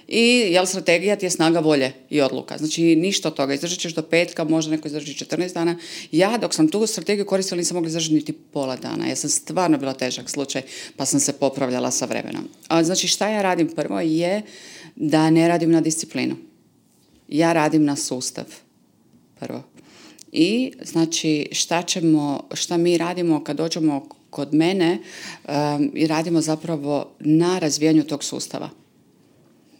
I strategija ti je snaga volje i odluka. Znači ništa od toga. Izdržat ćeš do petka, možda neko izdrži 14 dana. Ja dok sam tu strategiju koristila nisam mogla izdržati niti pola dana. Ja sam stvarno bila težak slučaj pa sam se popravljala sa vremenom. Znači šta ja radim prvo je da ne radim na disciplinu. Ja radim na sustav prvo. I znači šta mi radimo kad dođemo kod mene i radimo zapravo na razvijanju tog sustava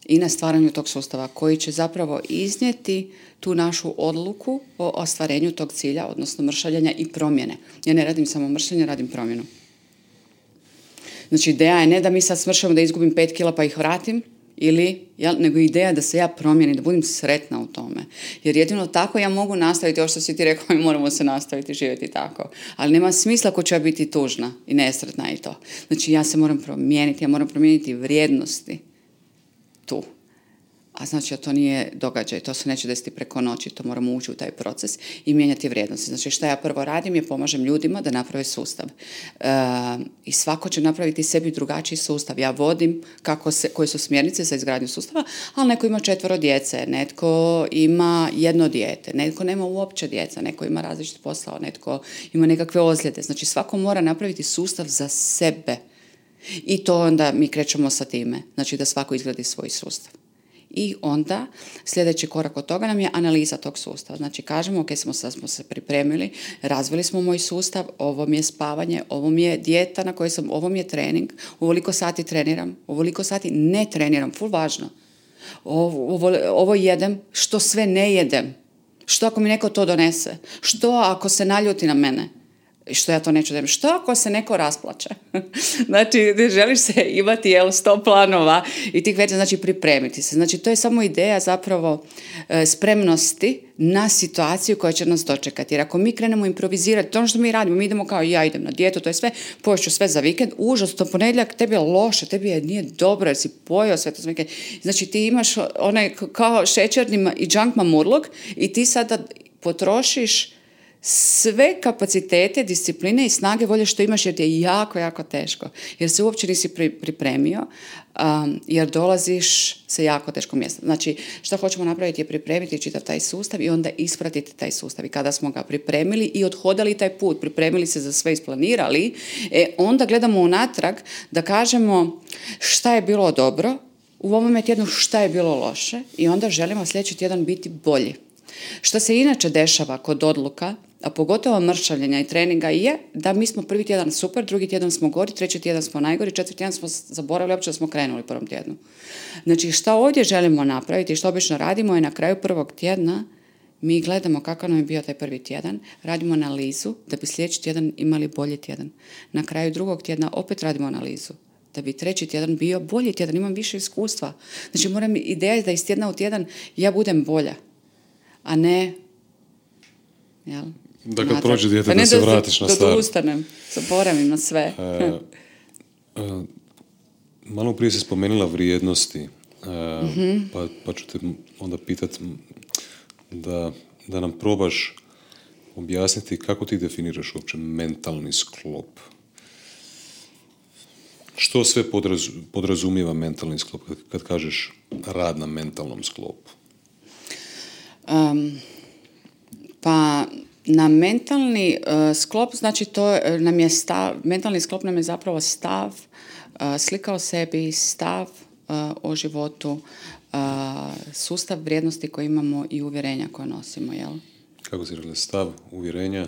i na stvaranju tog sustava koji će zapravo iznijeti tu našu odluku o ostvarenju tog cilja, odnosno mršavljenja i promjene. Ja ne radim samo mršavljenje, radim promjenu. Znači ideja je ne da mi sad smršamo da izgubim 5 kila pa ih vratim, nego ideja da se ja promijenim, da budem sretna u tome. Jer jedino tako ja mogu nastaviti, ovo što si ti rekao, mi moramo se nastaviti živjeti tako. Ali nema smisla ako ću ja biti tužna i nesretna i to. Znači ja se moram promijeniti, ja moram promijeniti vrijednosti tu. A znači to nije događaj, to se neće desiti preko noći, to moramo ući u taj proces i mijenjati vrijednosti. Znači šta ja prvo radim je pomažem ljudima da naprave sustav. I svako će napraviti sebi drugačiji sustav. Ja vodim koje su smjernice za izgradnju sustava, ali neko ima 4 djece, netko ima 1 dijete, netko nema uopće djeca, neko ima različit posao, netko ima nekakve ozljede. Znači svako mora napraviti sustav za sebe. I to onda mi krećemo sa time. Znači da svako izgradi svoj sustav. I onda sljedeći korak od toga nam je analiza tog sustava. Znači kažemo, ok, smo se pripremili, razvili smo moj sustav, ovo mi je spavanje, ovo mi je dijeta na kojoj sam, ovo mi je trening, ovoliko sati treniram, ovoliko sati ne treniram, ful važno. Ovo jedem, što sve ne jedem. Što ako mi neko to donese? Što ako se naljuti na mene? Što ja to neću da imam. Što ako se neko rasplače? Znači, želiš se imati 100 planova i tih veća, znači pripremiti se. Znači, to je samo ideja zapravo spremnosti na situaciju koja će nas dočekati. Jer ako mi krenemo improvizirati, to ono što mi radimo, mi idemo kao ja idem na dijetu, to je sve, poješću sve za vikend, užasno, ponedjeljak, tebi je loše, nije dobro jer si pojeo sve to za vikend. Znači, ti imaš onaj kao šećerni i junk mamurluk i ti sada potrošiš sve kapacitete, discipline i snage volje što imaš jer ti je jako, jako teško. Jer se uopće nisi pripremio, jer dolaziš sa jako teškom mjesta. Znači, što hoćemo napraviti je pripremiti čitav taj sustav i onda ispratiti taj sustav. I kada smo ga pripremili i odhodali taj put, pripremili se za sve, isplanirali, onda gledamo unatrag da kažemo šta je bilo dobro, u ovome tjednu šta je bilo loše i onda želimo sljedeći tjedan biti bolji. Što se inače dešava kod odluka, a pogotovo mršavljenja i treninga je da mi smo prvi tjedan super, drugi tjedan smo gori, treći tjedan smo najgori, četvrti tjedan smo zaboravili uopće da smo krenuli u prvom tjednu. Znači šta ovdje želimo napraviti i što obično radimo je na kraju prvog tjedna mi gledamo kakav nam je bio taj prvi tjedan, radimo analizu da bi sljedeći tjedan imali bolji tjedan. Na kraju drugog tjedna opet radimo analizu da bi treći tjedan bio bolji tjedan, imam više iskustva. Znači ideja je da iz tjedna u tjedan ja budem bolja, a ne da kad prođe dijete da se vratiš na staro. Da ustanem, zaboravim na sve. Malo prije si spomenula vrijednosti, pa ću te onda pitati da nam probaš objasniti kako ti definiraš uopće mentalni sklop. Što sve podrazumijeva mentalni sklop kad kažeš rad na mentalnom sklopu? Pa na mentalni sklop, znači to nam je stav, mentalni sklop nam je zapravo stav, slika o sebi, stav o životu, sustav vrijednosti koje imamo i uvjerenja koje nosimo, jel? Kako si rekla, stav, uvjerenja,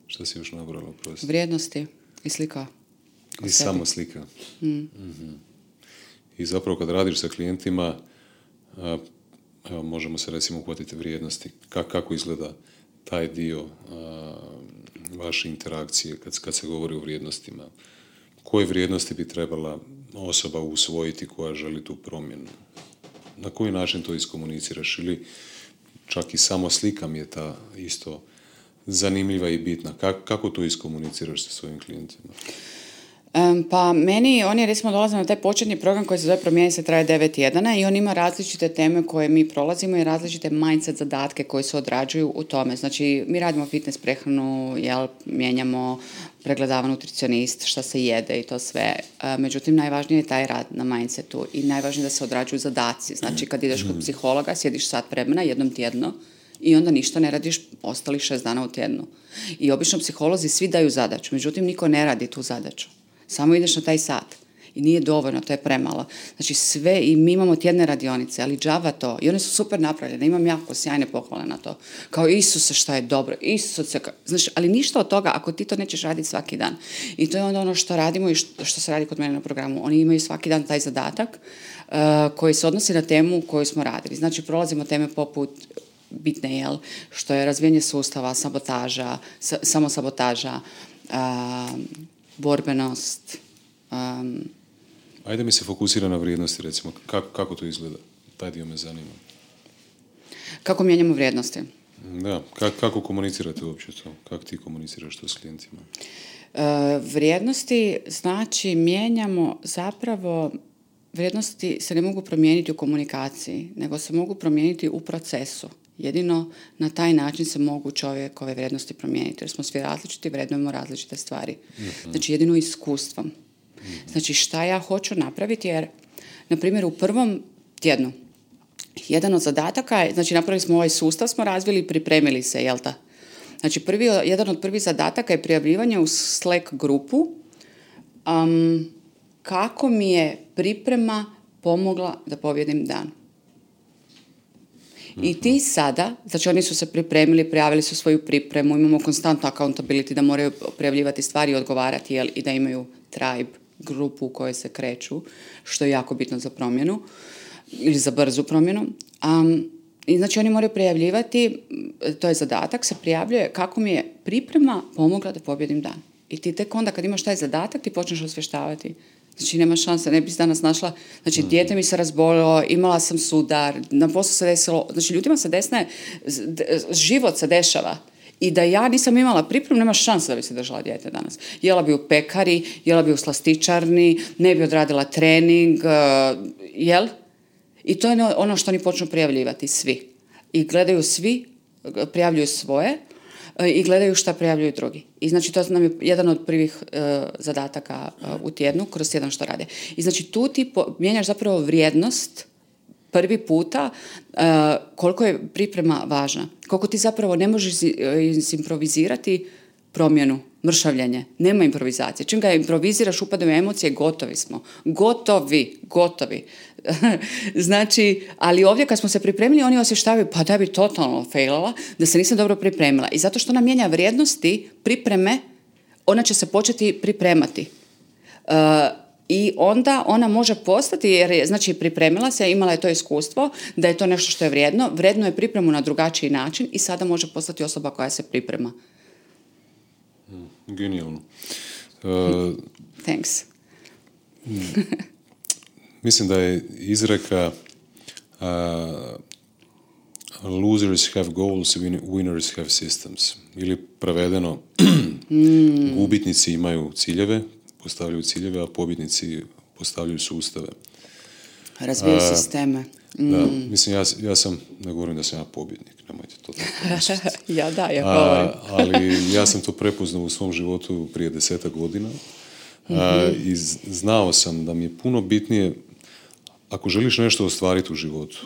što si još nabrala? Vrijednosti i slika o sebi. Samo slika. Mm-hmm. I zapravo kad radiš sa klijentima, evo, možemo se recimo uhvatiti vrijednosti. Kako izgleda taj dio vaše interakcije kad se govori o vrijednostima? Koje vrijednosti bi trebala osoba usvojiti koja želi tu promjenu? Na koji način to iskomuniciraš? Ili čak i samo slika mi je ta isto zanimljiva i bitna. Kako to iskomuniciraš sa svojim klijentima? Pa meni, oni recimo dolaze na taj početni program koji se zove Promijeni se, traje 9 tjedana i on ima različite teme koje mi prolazimo i različite mindset zadatke koji se odrađuju u tome. Znači, mi radimo fitness prehranu, mijenjamo, pregledava nutricionist, šta se jede i to sve. Međutim, najvažnije je taj rad na mindsetu i najvažnije da se odrađuju zadaci. Znači, kad ideš kod psihologa, sjediš sat vremena jednom tjedno i onda ništa ne radiš ostalih 6 dana u tjednu. I obično psiholozi svi daju zadaću, međutim, niko ne radi tu zadaću. Samo ideš na taj sat. I nije dovoljno, to je premalo. Znači sve, i mi imamo tjedne radionice, ali džava to. I one su super napravljene, imam jako sjajne pohvale na to. Kao Isuse šta je dobro, Isuse, znači, ali ništa od toga ako ti to nećeš raditi svaki dan. I to je onda ono što radimo i što se radi kod mene na programu. Oni imaju svaki dan taj zadatak koji se odnosi na temu koju smo radili. Znači prolazimo teme poput bitne, što je razvijanje sustava, sabotaža, samosabotaža, borbenost. Ajde mi se fokusira na vrijednosti, recimo. Kako to izgleda? Taj dio me zanima. Kako mijenjamo vrijednosti? Da, kako komunicirate uopće to? Kako ti komuniciraš to s klijentima? Vrijednosti znači mijenjamo zapravo, vrijednosti se ne mogu promijeniti u komunikaciji, nego se mogu promijeniti u procesu. Jedino na taj način se mogu čovjekove vrijednosti promijeniti, jer smo svi različiti, vrednujemo različite stvari. Znači jedino iskustvom. Znači šta ja hoću napraviti, jer na primjer u prvom tjednu jedan od zadataka je, znači napravili smo ovaj sustav, smo razvili i pripremili se, jel ta? Znači jedan od prvih zadataka je prijavljivanje u Slack grupu kako mi je priprema pomogla da pobjedim dan. I ti sada, znači oni su se pripremili, prijavili su svoju pripremu, imamo konstantno accountability da moraju prijavljivati stvari i odgovarati i da imaju tribe, grupu u kojoj se kreću, što je jako bitno za promjenu ili za brzu promjenu. I znači oni moraju prijavljivati, to je zadatak, se prijavljuje kako mi je priprema pomogla da pobjedim dan. I ti tek onda kad imaš taj zadatak ti počneš osvještavati. Znači nema šanse, ne bi se danas našla, znači dijete mi se razbolilo, imala sam sudar, na poslu se desilo, znači ljudima se desne, život se dešava. I da ja nisam imala pripremu, nema šanse da bi se držala dijete danas. Jela bi u pekari, jela bi u slastičarni, ne bi odradila trening, jel? I to je ono što oni počnu prijavljivati, svi. I gledaju svi, prijavljuju svoje i gledaju šta prijavljuju drugi. I znači to nam je jedan od prvih zadataka u tjednu, kroz tjedan što rade. I znači tu ti mijenjaš zapravo vrijednost prvi puta koliko je priprema važna. Koliko ti zapravo ne možeš improvizirati promjenu, mršavljenje. Nema improvizacije. Čim ga improviziraš, upadaju emocije, gotovi smo. Gotovi. Znači, ali ovdje kad smo se pripremili, oni osještavaju, pa da bi totalno failala, da se nisam dobro pripremila. I zato što ona mijenja vrijednosti pripreme, ona će se početi pripremati. I onda ona može postati, jer je, znači, pripremila se, imala je to iskustvo, da je to nešto što je vrijedno, vredno je pripremu na drugačiji način i sada može postati osoba koja se priprema. Genijalno. Thanks. Mislim da je izreka losers have goals, winners have systems. Ili prevedeno, gubitnici imaju ciljeve, postavljaju ciljeve, a pobjednici postavljaju sustave. Razvijaju sisteme. Da, mislim, ja sam, ne govorim da sam ja pobjednik, nemojte to tako misliti. Ja govorim. Ali ja sam to prepoznao u svom životu prije 10 godina i znao sam da mi je puno bitnije, ako želiš nešto ostvariti u životu,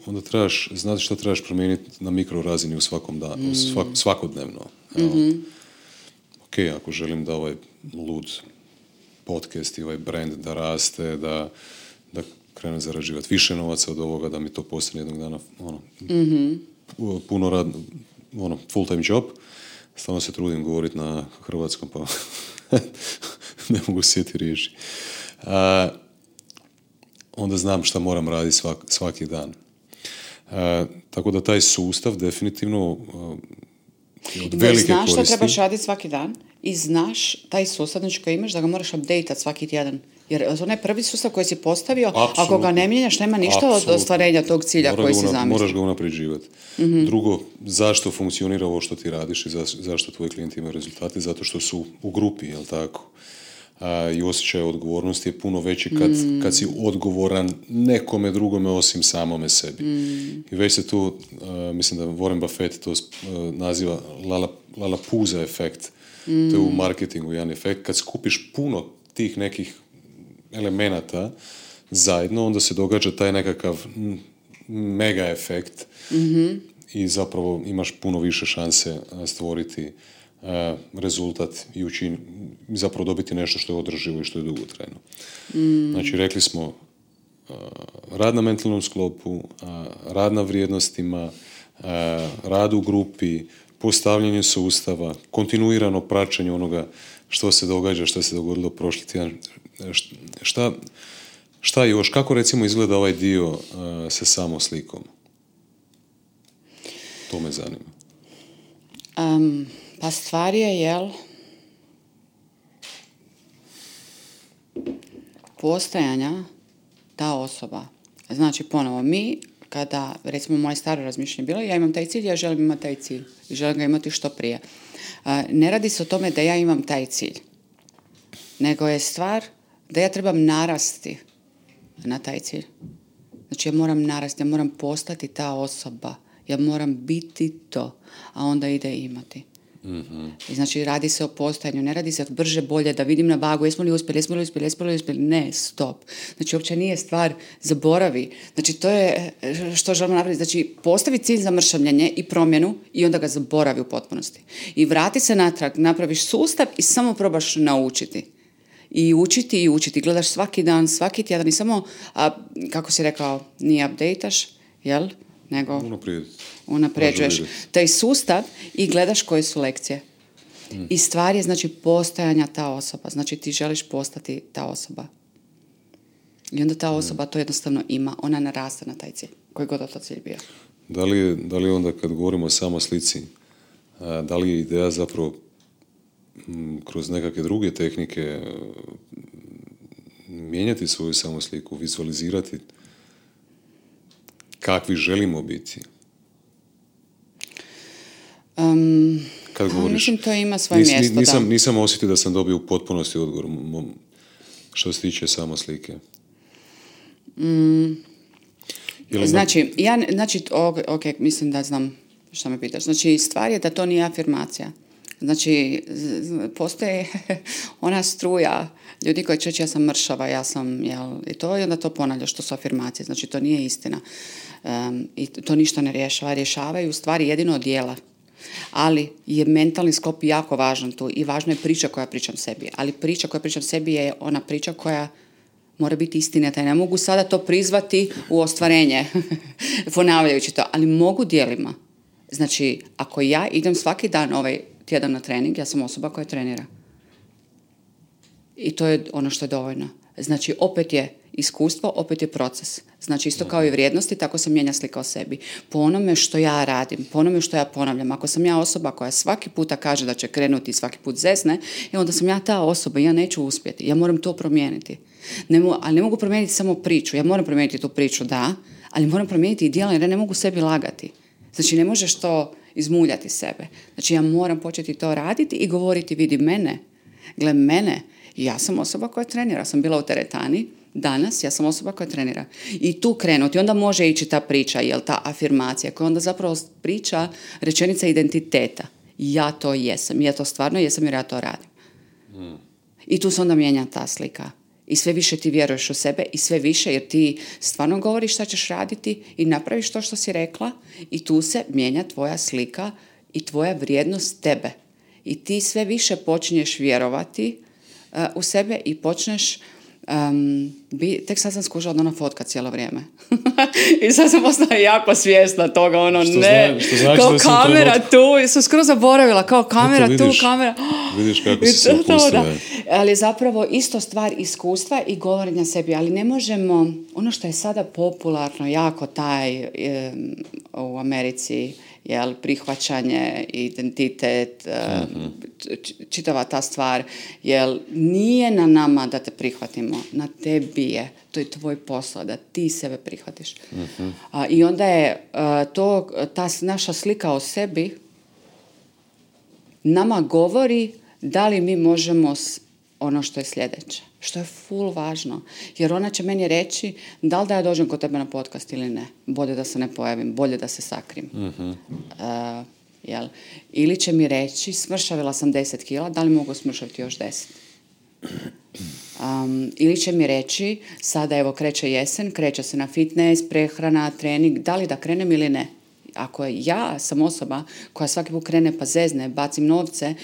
onda trebaš znati što trebaš promijeniti na mikro razini u svakom danu, svakodnevno. Ok, ako želim da ovaj lud podcast i ovaj brand da raste, da krenem zarađivati više novaca od ovoga, da mi to postane jednog dana puno radno, full time job. Stalno se trudim govoriti na hrvatskom, pa ne mogu sjeti riječi. Onda znam šta moram raditi svaki dan. Tako da taj sustav definitivno od velike znaš koristi. što trebaš raditi svaki dan i znaš taj sustav znači koji imaš da ga moraš update-at svaki tjedan. Jer onaj prvi sustav koji si postavio, Apsolutno. Ako ga ne mijenjaš, nema ništa od ostvarenja tog cilja koji si zamislio. Moraš ga unapređivati. Drugo, zašto funkcionira ovo što ti radiš i zašto tvoji klijenti imaju rezultate? Zato što su u grupi, jel tako? i osjećaj odgovornosti je puno veći kad si odgovoran nekome drugome osim samome sebi. I već se tu, mislim da Warren Buffett to naziva Lalapooza efekt. To je u marketingu jedan efekt. Kad skupiš puno tih nekih elemenata zajedno, onda se događa taj nekakav mega efekt i zapravo imaš puno više šanse stvoriti rezultat i zapravo dobiti nešto što je održivo i što je dugotrajno. Znači, rekli smo rad na mentalnom sklopu, rad na vrijednostima, rad u grupi, postavljanje sustava, kontinuirano praćenje onoga što se događa, što se dogodilo prošli tjedan. Šta još? Kako recimo izgleda ovaj dio sa samoslikom? To me zanima. Pa stvar je, postojanja ta osoba. Znači, ponovo, mi, kada, recimo, moje staro razmišljanje bilo, ja imam taj cilj, ja želim imati taj cilj i želim ga imati što prije. Ne radi se o tome da ja imam taj cilj, nego je stvar da ja trebam narasti na taj cilj. Znači, ja moram narasti, ja moram postati ta osoba, ja moram biti to, a onda ide imati. I znači, radi se o postojanju, ne radi se brže, bolje, da vidim na vagu, jesmo li uspjeli, ne, stop. Znači, uopće nije stvar, zaboravi. Znači, to je što želimo napraviti. Znači, postavi cilj za mršavljenje i promjenu i onda ga zaboravi u potpunosti. I vrati se natrag, napraviš sustav i samo probaš naučiti. I učiti. Gledaš svaki dan, svaki tjedan i samo, kako si rekao, nije updateš, jel? Nego unapređuješ taj sustav i gledaš koje su lekcije. I stvar je, znači, postojanja ta osoba. Znači, ti želiš postati ta osoba. I onda ta osoba to jednostavno ima. Ona naraste na taj cilj. Koji god to cilj bio. Da li onda kad govorimo o samoslici, da li je ideja zapravo kroz nekakve druge tehnike mijenjati svoju samosliku, vizualizirati kakvi želimo biti? Kad govoriš, mislim, to ima svoje mjesto. Nisam osjetio da sam dobio u potpunosti odgovor što se tiče samoslike. Znači, mislim da znam što me pitaš. Znači, stvar je da to nije afirmacija. Znači, postoji ona struja ljudi koji će reći ja sam mršava, ja sam, i to, i onda to ponavlja što su afirmacije. Znači, to nije istina. I to ništa ne rješava. Rješavaju u stvari jedino od djela. Ali je mentalni sklop jako važan tu i važna je priča koja pričam sebi. Ali priča koja pričam sebi je ona priča koja mora biti istinita. Ne mogu sada to prizvati u ostvarenje, ponavljajući to, ali mogu djelima. Znači, ako ja idem svaki dan ovaj tjedan na trening, ja sam osoba koja trenira. I to je ono što je dovoljno. Znači, opet je iskustvo, opet je proces. Znači, isto kao i vrijednosti, tako se mijenja slika o sebi. Po onome što ja radim, po onome što ja ponavljam. Ako sam ja osoba koja svaki puta kaže da će krenuti i svaki put zesne, onda sam ja ta osoba i ja neću uspjeti. Ja moram to promijeniti. Ali ne mogu promijeniti samo priču. Ja moram promijeniti tu priču, da, ali moram promijeniti i djela jer ja ne mogu sebi lagati. Znači, ne možeš to izmuljati sebe. Znači, ja moram početi to raditi i govoriti, vidi mene, gle mene, ja sam osoba koja trenira. Sam bila u teretani, danas ja sam osoba koja trenira. I tu krenuti, onda može ići ta priča, jel, ta afirmacija, koja onda zapravo priča rečenica identiteta. Ja to jesam, ja to stvarno jesam jer ja to radim. I tu se onda mijenja ta slika. I sve više ti vjeruješ u sebe i sve više jer ti stvarno govoriš šta ćeš raditi i napraviš to što si rekla i tu se mijenja tvoja slika i tvoja vrijednost tebe. I ti sve više počinješ vjerovati u sebe i počneš tek sad sam skušala da ona fotka cijelo vrijeme. I sad sam postala jako svjesna toga, kao kamera tu, sam skoro zaboravila, kao kamera tu, kamera. Vidiš kako si se opustila. Ali zapravo isto stvar iskustva i govorenja sebi, ali ne možemo, ono što je sada popularno, jako taj u Americi, jel, prihvaćanje, identitet, čitava ta stvar, jel, nije na nama da te prihvatimo, na tebi je, to je tvoj posao, da ti sebe prihvatiš. I onda je ta naša slika o sebi nama govori da li mi možemo ono što je sljedeće. Što je full važno. Jer ona će meni reći da li da ja dođem kod tebe na podcast ili ne. Bolje da se ne pojavim, bolje da se sakrim. Jel? Ili će mi reći smršavila sam 10 kila, da li mogu smršaviti još 10? Ili će mi reći sada evo kreće jesen, kreće se na fitness, prehrana, trening, da li da krenem ili ne? Ako ja sam osoba koja svaki put krene pa zezne, bacim novce,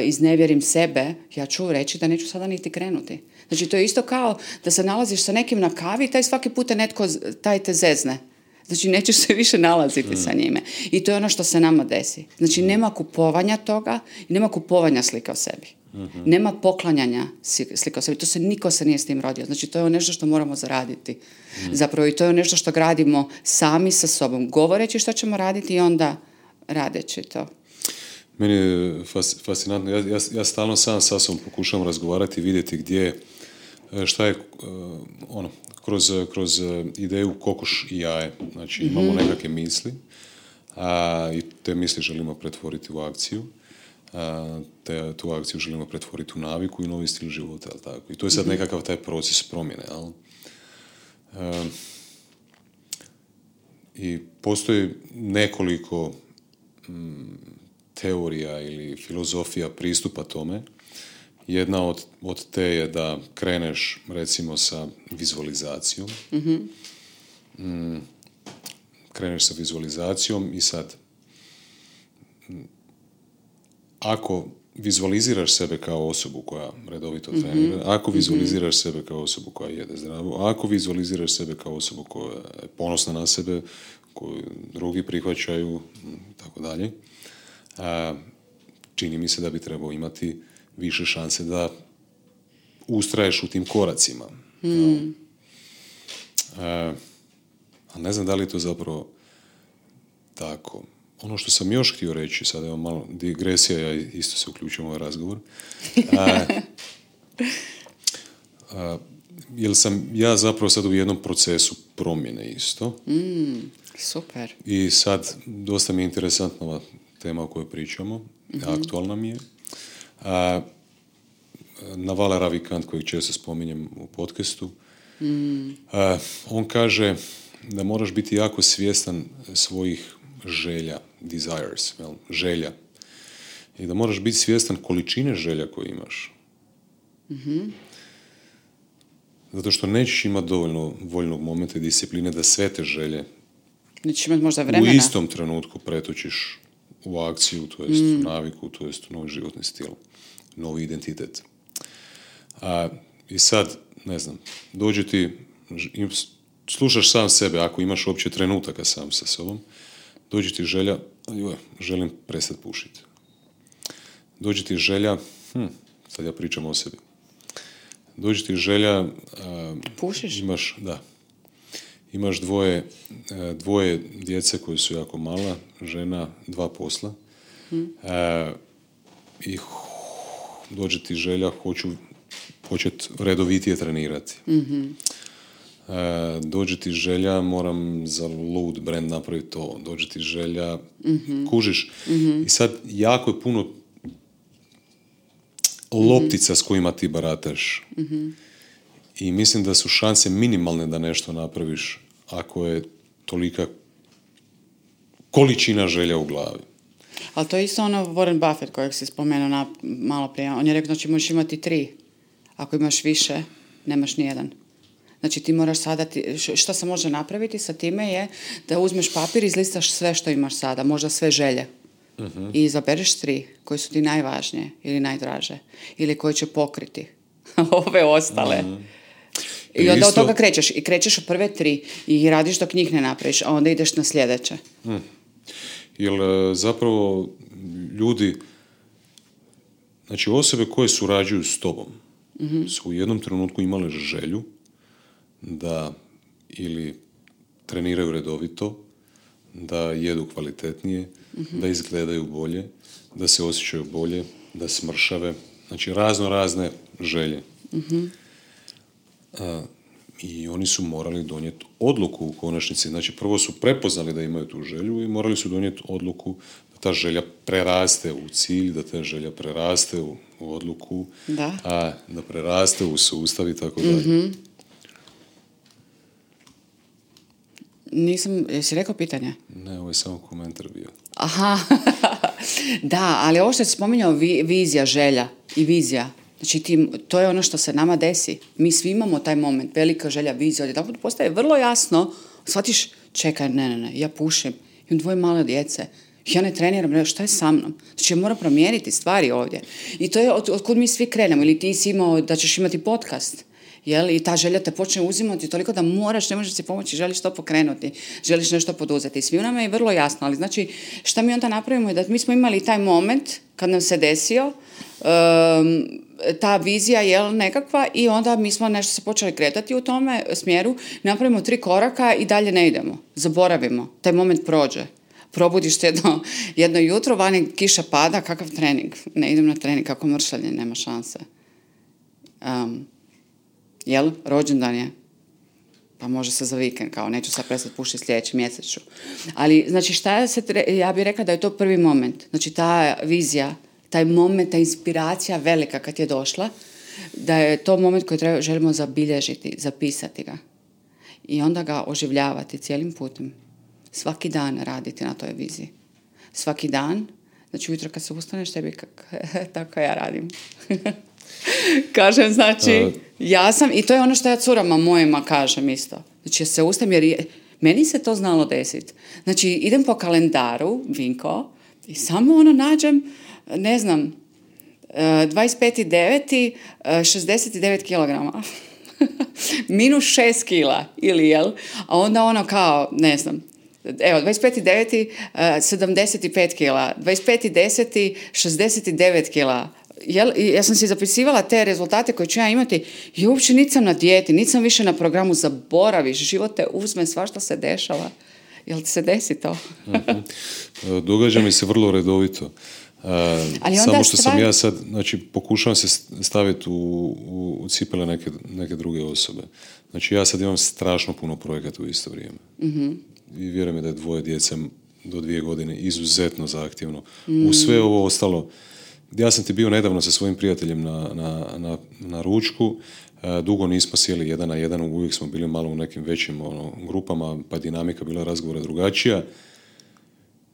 iznevjerim sebe, ja ću reći da neću sada niti krenuti. Znači to je isto kao da se nalaziš sa nekim na kavi i taj svaki put taj te zezne. Znači nećeš se više nalaziti sa njime. I to je ono što se nama desi. Znači nema kupovanja toga i nema kupovanja slika o sebi. Nema poklanjanja slika o sebi. Niko se nije s tim rodio. Znači to je nešto što moramo zaraditi. Zapravo i to je nešto što gradimo sami sa sobom. Govoreći što ćemo raditi i onda radeći to. Meni je fascinantno. Ja stalno sam sa sobom pokušavam razgovarati i vidjeti gdje, šta je kroz ideju kokoš i jaje. Znači imamo nekakve misli i te misli želimo pretvoriti u akciju. Tu akciju želimo pretvoriti u naviku i novi stil života. Tako? I to je sad nekakav taj proces promjene. I postoji nekoliko teorija ili filozofija pristupa tome. Jedna od te je da kreneš recimo sa vizualizacijom. Kreneš sa vizualizacijom i sad ako vizualiziraš sebe kao osobu koja redovito trenira, ako vizualiziraš sebe kao osobu koja jede zdravo, ako vizualiziraš sebe kao osobu koja je ponosna na sebe, koju drugi prihvaćaju, tako dalje, čini mi se da bi trebao imati više šanse da ustraješ u tim koracima. Ali ne znam da li je to zapravo tako. Ono što sam još htio reći, sad evo malo digresija, ja isto se uključujem u ovaj razgovor, jer sam ja zapravo sad u jednom procesu promjene isto. Super. I sad dosta mi je interesantna ova tema o kojoj pričamo, aktualna mi je. Naval Ravikant, kojeg često spominjem u podcastu, on kaže da moraš biti jako svjestan svojih želja, desires, želja. I da moraš biti svjestan količine želja koje imaš. Zato što nećeš imati dovoljno voljnog momenta i discipline da sve te želje nećeš imati možda vremena. U istom trenutku pretočiš u akciju, to jest u naviku, to jest u novi životni stil, novi identitet. I sad, ne znam, dođe ti, slušaš sam sebe, ako imaš uopće trenutaka sam sa sobom, dođe ti želja, želim prestati pušiti. Dođe ti želja, sad ja pričam o sebi, dođe ti želja, pušiš? Imaš dvoje djece koje su jako mala, žena, 2 posla, i dođe ti želja, hoću početi redovitije trenirati. Dođe ti želja, moram za lud brand napraviti to. Dođe ti želja, kužiš. I sad jako je puno loptica s kojima ti barataš. I mislim da su šanse minimalne da nešto napraviš ako je tolika količina želja u glavi. Ali to je isto ono Warren Buffett kojeg si spomenuo malo prije. On je rekao, znači možeš imati 3. Ako imaš više, nemaš nijedan. Znači ti moraš sada, što se može napraviti sa time je da uzmeš papir i izlistaš sve što imaš sada, možda sve želje. I izabereš 3 koji su ti najvažnije ili najdraže ili koji će pokriti ove ostale. I onda od toga krećeš. I krećeš od prve 3 i radiš dok njih ne napraviš, a onda ideš na sljedeće. Jer zapravo ljudi, znači osobe koje surađuju s tobom, su u jednom trenutku imale želju da ili treniraju redovito, da jedu kvalitetnije, da izgledaju bolje, da se osjećaju bolje, da smršave. Znači razne želje. I oni su morali donijeti odluku u konačnici. Znači prvo su prepoznali da imaju tu želju i morali su donijeti odluku da ta želja preraste u cilj, da ta želja preraste u odluku, Da. a da preraste u sustav i tako dalje. Jesi rekao pitanje? Ne, ovo je samo komentar bio. Aha, da, ali ovo što si spominjao, vizija, želja i vizija. Znači, to je ono što se nama desi. Mi svi imamo taj moment, velika želja, vizija, odjedanput postaje vrlo jasno, shvatiš, čekaj, ne, ja pušim, imam 2 male djece, ja ne treniram, šta je sa mnom? Znači, ja moram promijeniti stvari ovdje. I to je otkud mi svi krenemo, ili ti si imao da ćeš imati podcast, jel? I ta želja te počne uzimati toliko da moraš, ne možeš si pomoći, želiš to pokrenuti, želiš nešto poduzeti. Svi nama je vrlo jasno, ali znači, šta mi onda napravimo je da mi smo imali taj moment kad nam se desio, ta vizija je nekakva i onda mi smo nešto se počeli kretati u tome smjeru, napravimo 3 koraka i dalje ne idemo, zaboravimo, taj moment prođe. Probudiš se jedno jutro, vani kiša pada, kakav trening? Ne idem na trening, kako mršavlje, nema šanse. Jel? Rođendan je. Pa može se za vikend, kao neću sad prestati pušiti sljedeći mjesec ću. Ali, znači, ja bih rekla da je to prvi moment. Znači, ta vizija, taj moment, ta inspiracija velika kad je došla, da je to moment koji želimo zabilježiti, zapisati ga. I onda ga oživljavati cijelim putem. Svaki dan raditi na toj viziji. Svaki dan, znači ujutro kad se ustaneš, tebi tako ja radim. Kažem, znači, ja sam, i to je ono što ja curama mojima kažem isto. Znači, ja se ustajem jer meni se to znalo desiti. Znači, idem po kalendaru, Vinko, i samo nađem, ne znam, 25.9. 69 kilograma. Minus 6 kila, ili jel? A onda kao, ne znam, evo, 25.9. 75 kila, 25.10. 69 kila. Ja sam si zapisivala te rezultate koje ću ja imati i uopće nisam na dijeti, nisam više na programu, zaboraviš, život te uzme, svašta se dešava. Jel ti se desi to? Događa mi se vrlo redovito. Samo što sam ja sad, znači, pokušavam se staviti u cipele neke druge osobe. Znači, ja sad imam strašno puno projekata u isto vrijeme. I vjerujem mi da je 2 djece do 2 godine izuzetno zahtjevno. U sve ovo ostalo, ja sam ti bio nedavno sa svojim prijateljem na ručku, dugo nismo sjeli 1 na 1, uvijek smo bili malo u nekim većim grupama, pa dinamika bila razgovora drugačija.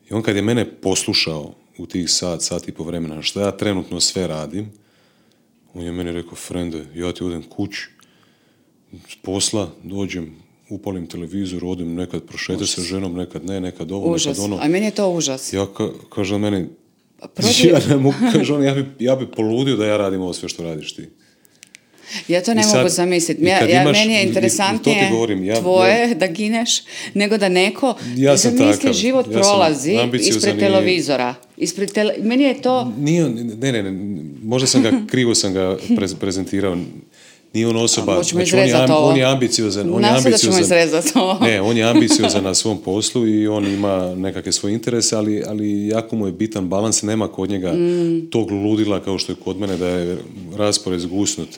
I on kad je mene poslušao u tih sat i po vremena što ja trenutno sve radim, on je meni rekao, frende, ja ti odem kući, s posla dođem, upalim televizor, odem nekad prošetati sa ženom, nekad ne, nekad ovo, užas. Nekad ono. A meni je to užas. Ja kaže on meni, ja ne mogu, kaže on, ja bi poludio da ja radim ovo sve što radiš ti. Ja to ne mogu zamisliti. Meni je interesantnije tvoje da gineš, nego da neko zamisli život prolazi ispred televizora. Meni je to... Ne, možda sam ga krivo prezentirao. Nije on osoba, znači on je ambiciozan. Ne, on je ambiciozan na svom poslu i on ima nekakve svoje interese, ali jako mu je bitan balans, nema kod njega tog ludila kao što je kod mene, da je raspored zgusnut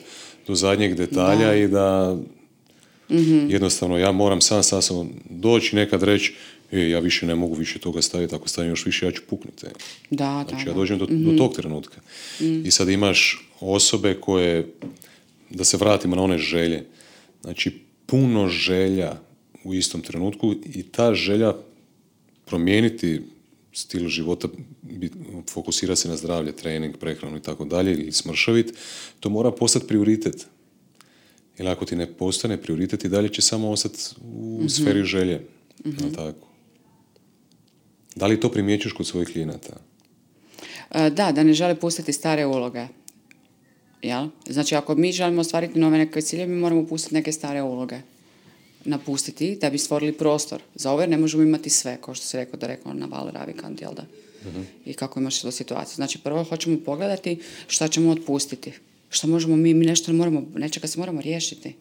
do zadnjeg detalja i da jednostavno ja moram sam doći nekad reći ja više ne mogu više toga staviti, ako stavim još više ja ću puknuti. Znači ja dođem do tog trenutka. I sad imaš osobe koje, da se vratimo na one želje, znači puno želja u istom trenutku i ta želja promijeniti stil života, fokusira se na zdravlje, trening, prehranu i tako dalje, ili smršavit, to mora postati prioritet. Jer ako ti ne postane prioritet i dalje će samo ostati u sferi želje. Tako. Da li to primjećuješ kod svojih klijenata? Da ne žele pustiti stare uloge. Jel? Znači, ako mi želimo ostvariti nove neke cilje, mi moramo pustiti neke stare uloge. Napustiti da bi stvorili prostor. Za ove ne možemo imati sve, kao što si rekao na Val Ravikant, jel da? I kako imaš tu situaciju. Znači, prvo hoćemo pogledati šta ćemo otpustiti. Šta možemo mi nešto moramo, nečega se moramo riješiti.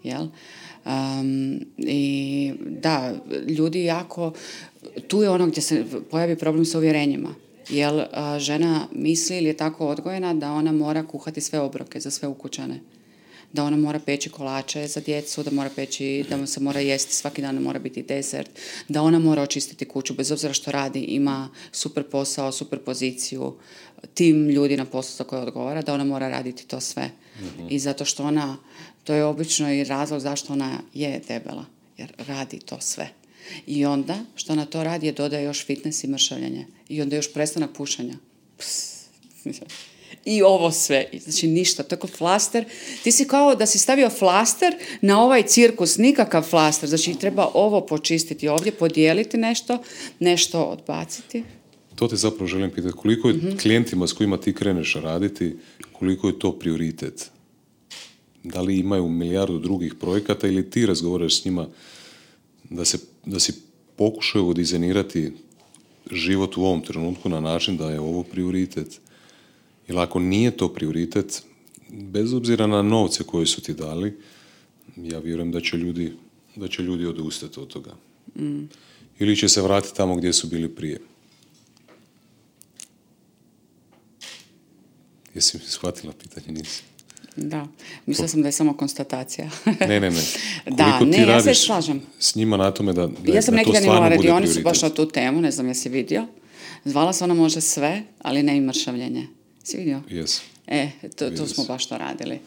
Jel? I da, ljudi jako, tu je ono gdje se pojavi problem s uvjerenjima. Jer žena misli ili je tako odgojena da ona mora kuhati sve obroke za sve ukućane. da ona mora peći kolače za djecu, da mora peći, da se mora jesti svaki dan, mora biti desert, da ona mora očistiti kuću, bez obzira što radi, ima super posao, super poziciju, tim ljudi na poslu za koje odgovara, da ona mora raditi to sve. I zato što ona, to je obično i razlog zašto ona je debela, jer radi to sve. I onda, što ona to radi, je dodaje još fitness i mršavljenje. I onda još prestanak pušenja. I ovo sve. Znači ništa, tako flaster. Ti si kao da si stavio flaster na ovaj cirkus, nikakav flaster. Znači treba ovo počistiti ovdje, podijeliti nešto odbaciti. To te zapravo želim pitati. Koliko je klijentima s kojima ti kreneš raditi, koliko je to prioritet? Da li imaju milijardu drugih projekata ili ti razgovaraš s njima da si pokušaju dizajnirati život u ovom trenutku na način da je ovo prioritet? Jer ako nije to prioritet, bez obzira na novce koje su ti dali, ja vjerujem da će ljudi odustati od toga. Ili će se vratiti tamo gdje su bili prije. Jesi mi shvatila pitanje? Nisi? Da, mislila sam da je samo konstatacija. Ne. Da, ti ja se slažem. S njima na tome da ja sam neki dan imala radionicu baš na tu temu, ne znam jesi vidio. Zvala se ona može sve, ali ne i mršavljenje. Si vidio? Yes. To smo baš to radili.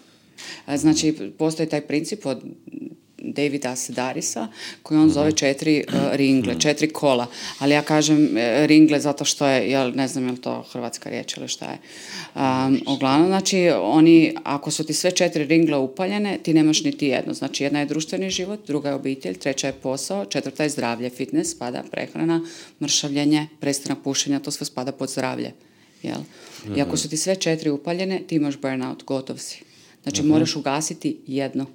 Znači, postoji taj princip od Davida Sedarisa, koji on zove 4 ringle, 4 kola. Ali ja kažem ringle zato što je, ne znam je li to hrvatska riječ ili šta je. Uglavnom, znači, ako su ti sve 4 ringle upaljene, ti nemaš niti jedno. Znači, jedna je društveni život, druga je obitelj, treća je posao, četvrta je zdravlje, fitness, spada prehrana, mršavljenje, prestanak pušenja, to sve spada pod zdravlje. Jel? I ako su ti sve 4 upaljene, ti imaš burnout, gotov si. Znači, moraš ugasiti jedno.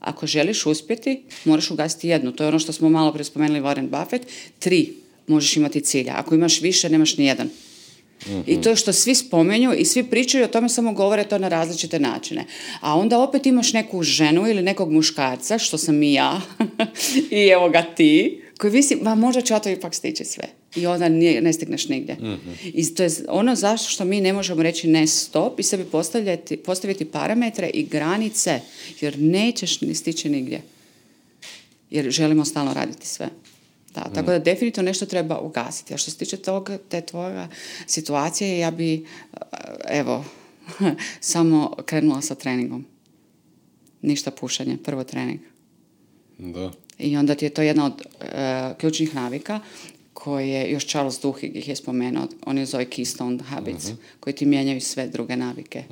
Ako želiš uspjeti, moraš ugasiti jednu. To je ono što smo malo prije spomenuli Warren Buffett. 3 možeš imati cilja. Ako imaš više, nemaš ni jedan. I to je što svi spomenju i svi pričaju o tome, samo govore to na različite načine. A onda opet imaš neku ženu ili nekog muškarca, što sam i ja, i evo ga ti, koji misli, možda ću ja to ipak stići sve. I onda ne stigneš nigdje. I to je ono zašto što mi ne možemo reći ne stop i sebi postaviti parametre i granice, jer nećeš ni stići nigdje. Jer želimo stalno raditi sve. Da, tako da definitivno nešto treba ugasiti. A što se tiče te tvoje situacije, ja bi, samo krenula sa treningom. Ništa pušenje, prvo trening. Da. I onda ti je to jedna od ključnih navika koje još Charles Duhigg ih je spomenuo. On je zove Keystone Habits, koji ti mijenjaju sve druge navike.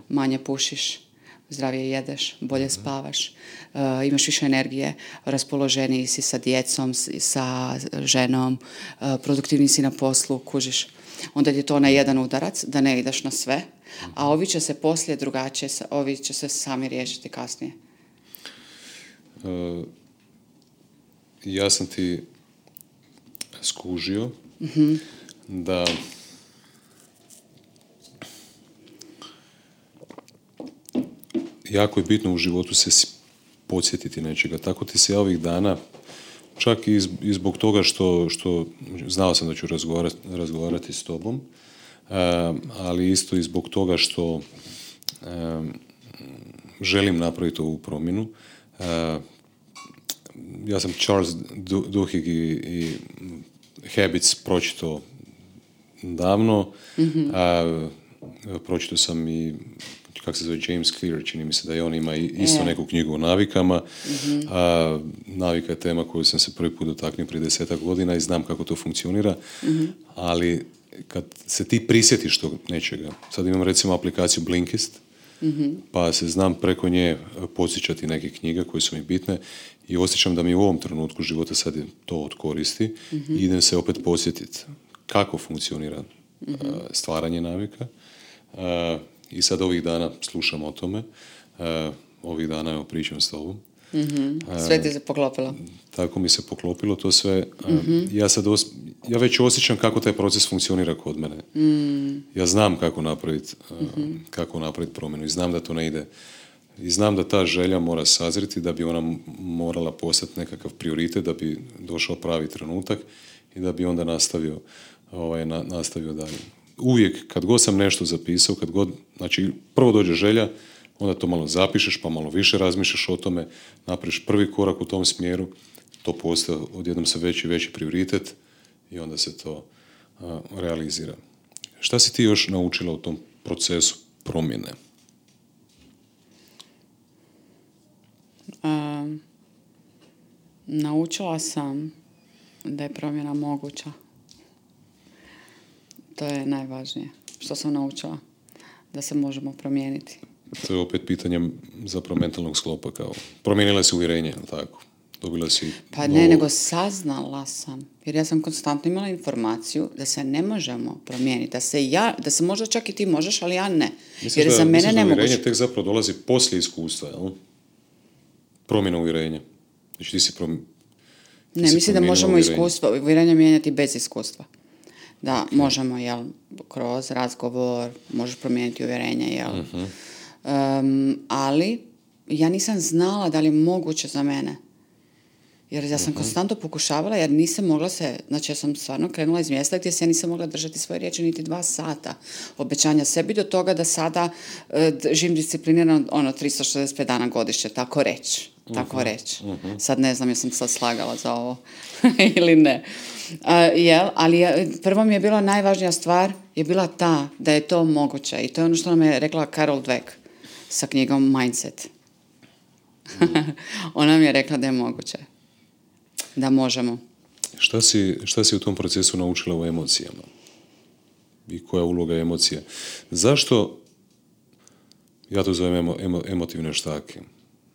Manje pušiš, zdravije jedeš, bolje spavaš, imaš više energije, raspoloženiji si sa djecom, sa ženom, produktivniji si na poslu, kužiš. Onda je to na jedan udarac, da ne ideš na sve, a ovi će se poslije drugačije, ovi će se sami riješiti kasnije. Ja sam ti skužio da jako je bitno u životu se podsjetiti nečega. Tako ti se ja ovih dana, čak i zbog toga što znao sam da ću razgovarati s tobom, ali isto i zbog toga što želim napraviti ovu promjenu. Ja sam Charles Duhigg i Habits pročitao davno. Pročitao sam i kako se zove James Clear, čini mi se da i on ima isto neku knjigu o navikama. Navika je tema koju sam se prvi put dotaknuo prije 10 godina i znam kako to funkcionira, ali kad se ti prisjetiš tog nečega, sad imam recimo aplikaciju Blinkist, pa se znam preko nje podsjećati neke knjige koje su mi bitne i osjećam da mi u ovom trenutku života sad to od koristi i idem se opet podsjetiti kako funkcionira stvaranje navika. I sad ovih dana slušam o tome, ovih dana evo pričam s tobom. Sve ti se poklopilo. Tako mi se poklopilo to sve. Ja već osjećam kako taj proces funkcionira kod mene. Ja znam kako napraviti promjenu i znam da to ne ide. I znam da ta želja mora sazriti, da bi ona morala postati nekakav prioritet, da bi došao pravi trenutak i da bi onda nastavio dalje. Uvijek, kad god sam nešto zapisao, znači prvo dođe želja, onda to malo zapišeš, pa malo više razmišljaš o tome, napraviš prvi korak u tom smjeru, to postaje odjednom se veći i veći prioritet i onda se to realizira. Šta si ti još naučila u tom procesu promjene? Naučila sam da je promjena moguća. To je najvažnije. Što sam naučila? Da se možemo promijeniti. To je opet pitanje zapravo mentalnog sklopa. Kao promijenila si uvjerenje, tako? Dobila si pa ne, nego saznala sam. Jer ja sam konstantno imala informaciju da se ne možemo promijeniti. Da se možda čak i ti možeš, ali ja ne. Misliš jer za mene ne uvjerenje tek zapravo dolazi poslije iskustva, jel? Promjena uvjerenja. Znači ti si Ne, mislim da možemo uvjerenje mijenjati bez iskustva. Da, možemo, jel, kroz razgovor, možeš promijeniti uvjerenje, jel. Ali ja nisam znala da li je moguće za mene. Jer ja sam konstantno pokušavala, jer nisam mogla znači ja sam stvarno krenula iz mjesta gdje se ja nisam mogla držati svoje riječi niti 2 sata obećanja sebi do toga da sada živim disciplinirano 365 dana godišnje, tako reći. Sad ne znam jesam sad slagala za ovo ili ne. Ali prvo mi je bila najvažnija stvar je bila ta da je to moguće i to je ono što nam je rekla Carol Dweck sa knjigom Mindset. Ona mi je rekla da je moguće. Da možemo. Šta si u tom procesu naučila o emocijama? I koja je uloga emocija? Zašto, ja to zovem emotivne štake.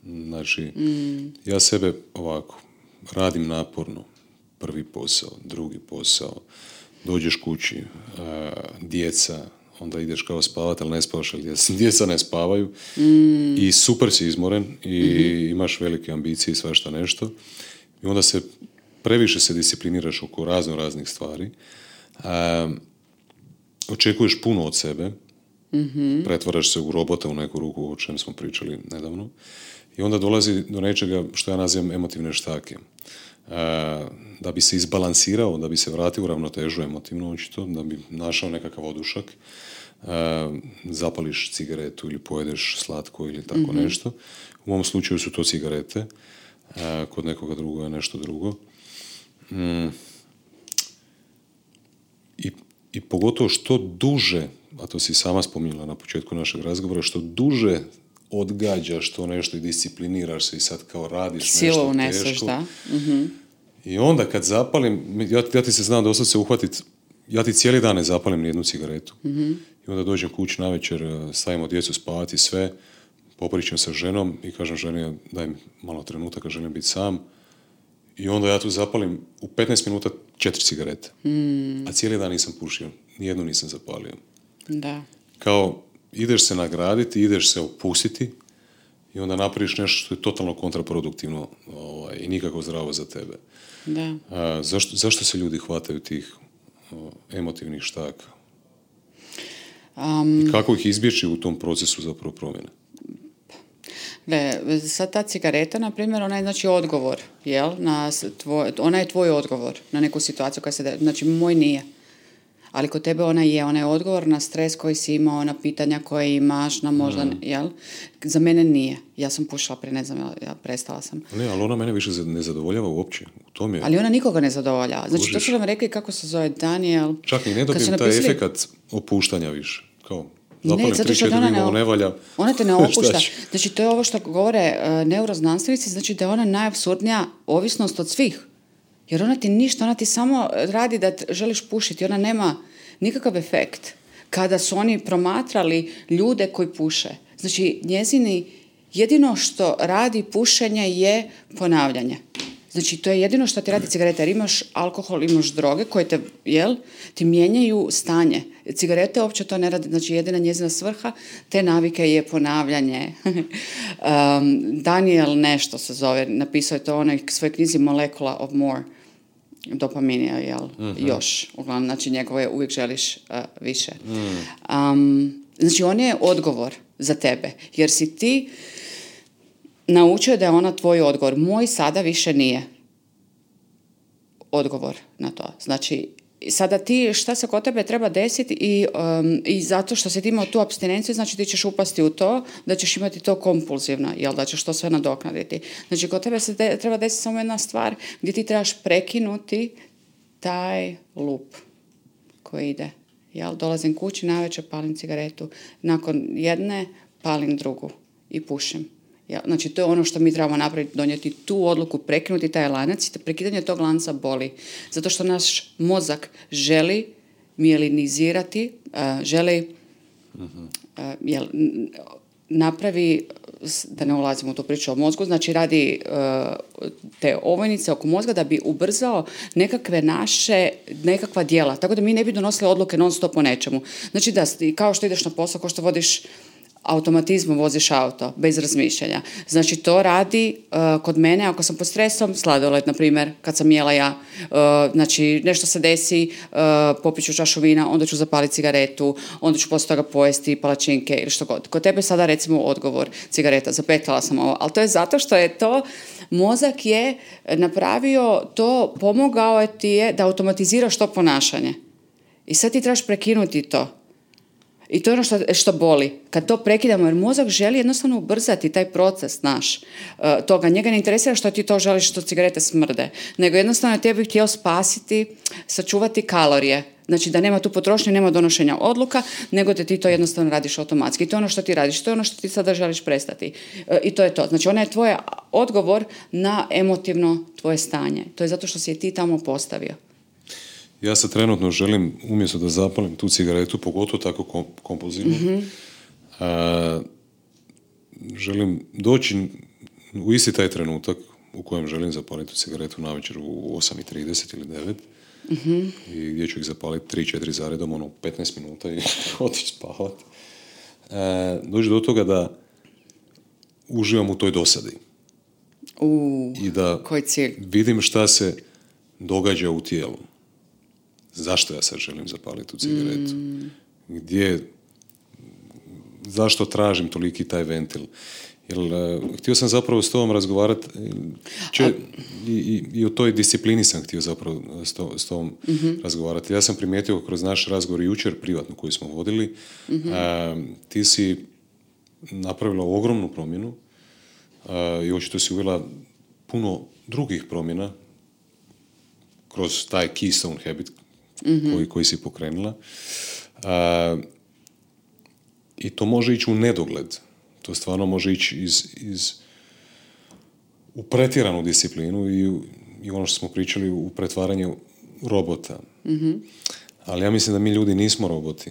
Znači, ja sebe ovako, radim naporno. Prvi posao, drugi posao, dođeš kući, djeca, onda ideš kao spavati, ali ne spavaš, ali djeca ne spavaju. I super si izmoren i imaš velike ambicije i svašta nešto. I onda previše se discipliniraš oko raznih stvari. Očekuješ puno od sebe. Pretvaraš se u robota u neku ruku, o čem smo pričali nedavno. I onda dolazi do nečega što ja nazivam emotivne štake. Da bi se izbalansirao, da bi se vratio u ravnotežu emotivno očito, da bi našao nekakav odušak, zapališ cigaretu ili pojedeš slatko ili tako nešto. U ovom slučaju su to cigarete, kod nekoga drugo je nešto drugo. I pogotovo što duže, a to si sama spominjala na početku našeg razgovora, što duže odgađaš to nešto i discipliniraš se i sad kao radiš silu nešto uneseš, teško. Da. I onda kad zapalim, ja ti se znam da se uhvatit, ja ti cijeli dan ne zapalim nijednu cigaretu. I onda dođem kući navečer, stavimo djecu spavati sve, popričam sa ženom i kažem ženi daj mi malo trenutaka, želim biti sam. I onda ja tu zapalim u 15 minuta 4 cigarete. A cijeli dan nisam pušio, nijednu nisam zapalio. Da. Kao ideš se nagraditi, ideš se opustiti i onda napraviš nešto što je totalno kontraproduktivno i nikako zdravo za tebe. Da. Zašto se ljudi hvataju tih emotivnih štaka? I kako ih izbjeći u tom procesu zapravo promjene? Sad ta cigareta, na primjer, ona je znači odgovor, jel? Ona je tvoj odgovor na neku situaciju koja se znači moj nije. Ali kod tebe ona je odgovor na stres koji si imao, na pitanja koje imaš, na možda, jel? Za mene nije. Ja sam pušila prije, ne znam, ja prestala sam. Ne, ali ona mene više ne zadovoljava uopće. U tom je... Ali ona nikoga ne zadovoljava. Znači, to su nam rekli kako se zove Daniel. Čak i ne dobijem taj efekat opuštanja više. Kao, zapalim 3-4 ne valja. Ona te ne opušta. Znači, to je ovo što govore neuroznanstvenici, znači da je ona najapsurdnija ovisnost od svih. Jer ona ti ništa, ona ti samo radi da želiš pušiti, ona nema nikakav efekt. Kada su oni promatrali ljude koji puše, znači njezini jedino što radi pušenje je ponavljanje. Znači to je jedino što ti radi cigareta, jer imaš alkohol, imaš droge koje te, ti mijenjaju stanje. Cigarete uopće to ne radi, znači jedina njezina svrha te navike je ponavljanje. Daniel nešto se zove, napisao je to u onoj svojoj knjizi Molecula of More. Dopaminija, još. Uglavnom, znači njegovo je uvijek želiš više. Znači on je odgovor za tebe, jer si ti naučio da je ona tvoj odgovor. Moj sada više nije odgovor na to. Znači, I sada ti, šta se kod tebe treba desiti i zato što si ti imao tu apstinenciju, znači ti ćeš upasti u to da ćeš imati to kompulzivno, jel da ćeš to sve nadoknaditi. Znači kod tebe se treba desiti samo jedna stvar gdje ti trebaš prekinuti taj lup koji ide. Jel, dolazim kući, navečer palim cigaretu, nakon jedne palim drugu i pušim. Ja, znači, to je ono što mi trebamo napraviti, donijeti tu odluku, prekinuti taj lanac i prekidanje tog lanca boli. Zato što naš mozak želi mijelinizirati, želi napravi, da ne ulazimo u tu priču o mozgu, znači radi te ovojnice oko mozga da bi ubrzao nekakva djela, tako da mi ne bi donosili odluke non stop o nečemu. Znači da, kao što ideš na posao, kao što vodiš automatizmom voziš auto, bez razmišljanja. Znači, to radi kod mene, ako sam pod stresom, sladoled, na primjer, kad sam jela ja, znači, nešto se desi, popiću čašu vina, onda ću zapaliti cigaretu, onda ću poslije toga pojesti palačinke ili što god. Kod tebe sada, recimo, odgovor, cigareta, zapetljala sam ovo, ali to je zato što je to, mozak je napravio to, pomogao ti je da automatiziraš to ponašanje. I sad ti trebaš prekinuti to. I to je ono što boli. Kad to prekidamo, jer mozak želi jednostavno ubrzati taj proces naš. Toga njega ne interesira što ti to želiš, što cigarete smrde. Nego jednostavno tebi bi htio spasiti, sačuvati kalorije. Znači da nema tu potrošnje, nema donošenja odluka, nego da ti to jednostavno radiš automatski. I to je ono što ti radiš, to je ono što ti sada želiš prestati. I to je to. Znači ona je tvoj odgovor na emotivno tvoje stanje. To je zato što si je ti tamo postavio. Ja se trenutno želim, umjesto da zapalim tu cigaretu, pogotovo tako kompulzivno, želim doći u isti taj trenutak u kojem želim zapaliti tu cigaretu navečer u 8:30 ili 9 i gdje ću ih zapaliti 3-4 zaredom, 15 minuta i otići spavati. Doći do toga da uživam u toj dosadi. I da koji cilj? Vidim šta se događa u tijelu. Zašto ja sad želim zapaliti tu cigaretu? Zašto tražim toliki taj ventil? Jer htio sam zapravo s tobom razgovarati i o toj disciplini sam htio zapravo s tobom razgovarati. Ja sam primijetio kroz naš razgovor jučer privatno koji smo vodili, ti si napravila ogromnu promjenu i očito si uvela puno drugih promjena kroz taj keystone habit koji si pokrenula. I to može ići u nedogled. To stvarno može ići u pretjeranu disciplinu i ono što smo pričali u pretvaranje robota. Ali ja mislim da mi ljudi nismo roboti.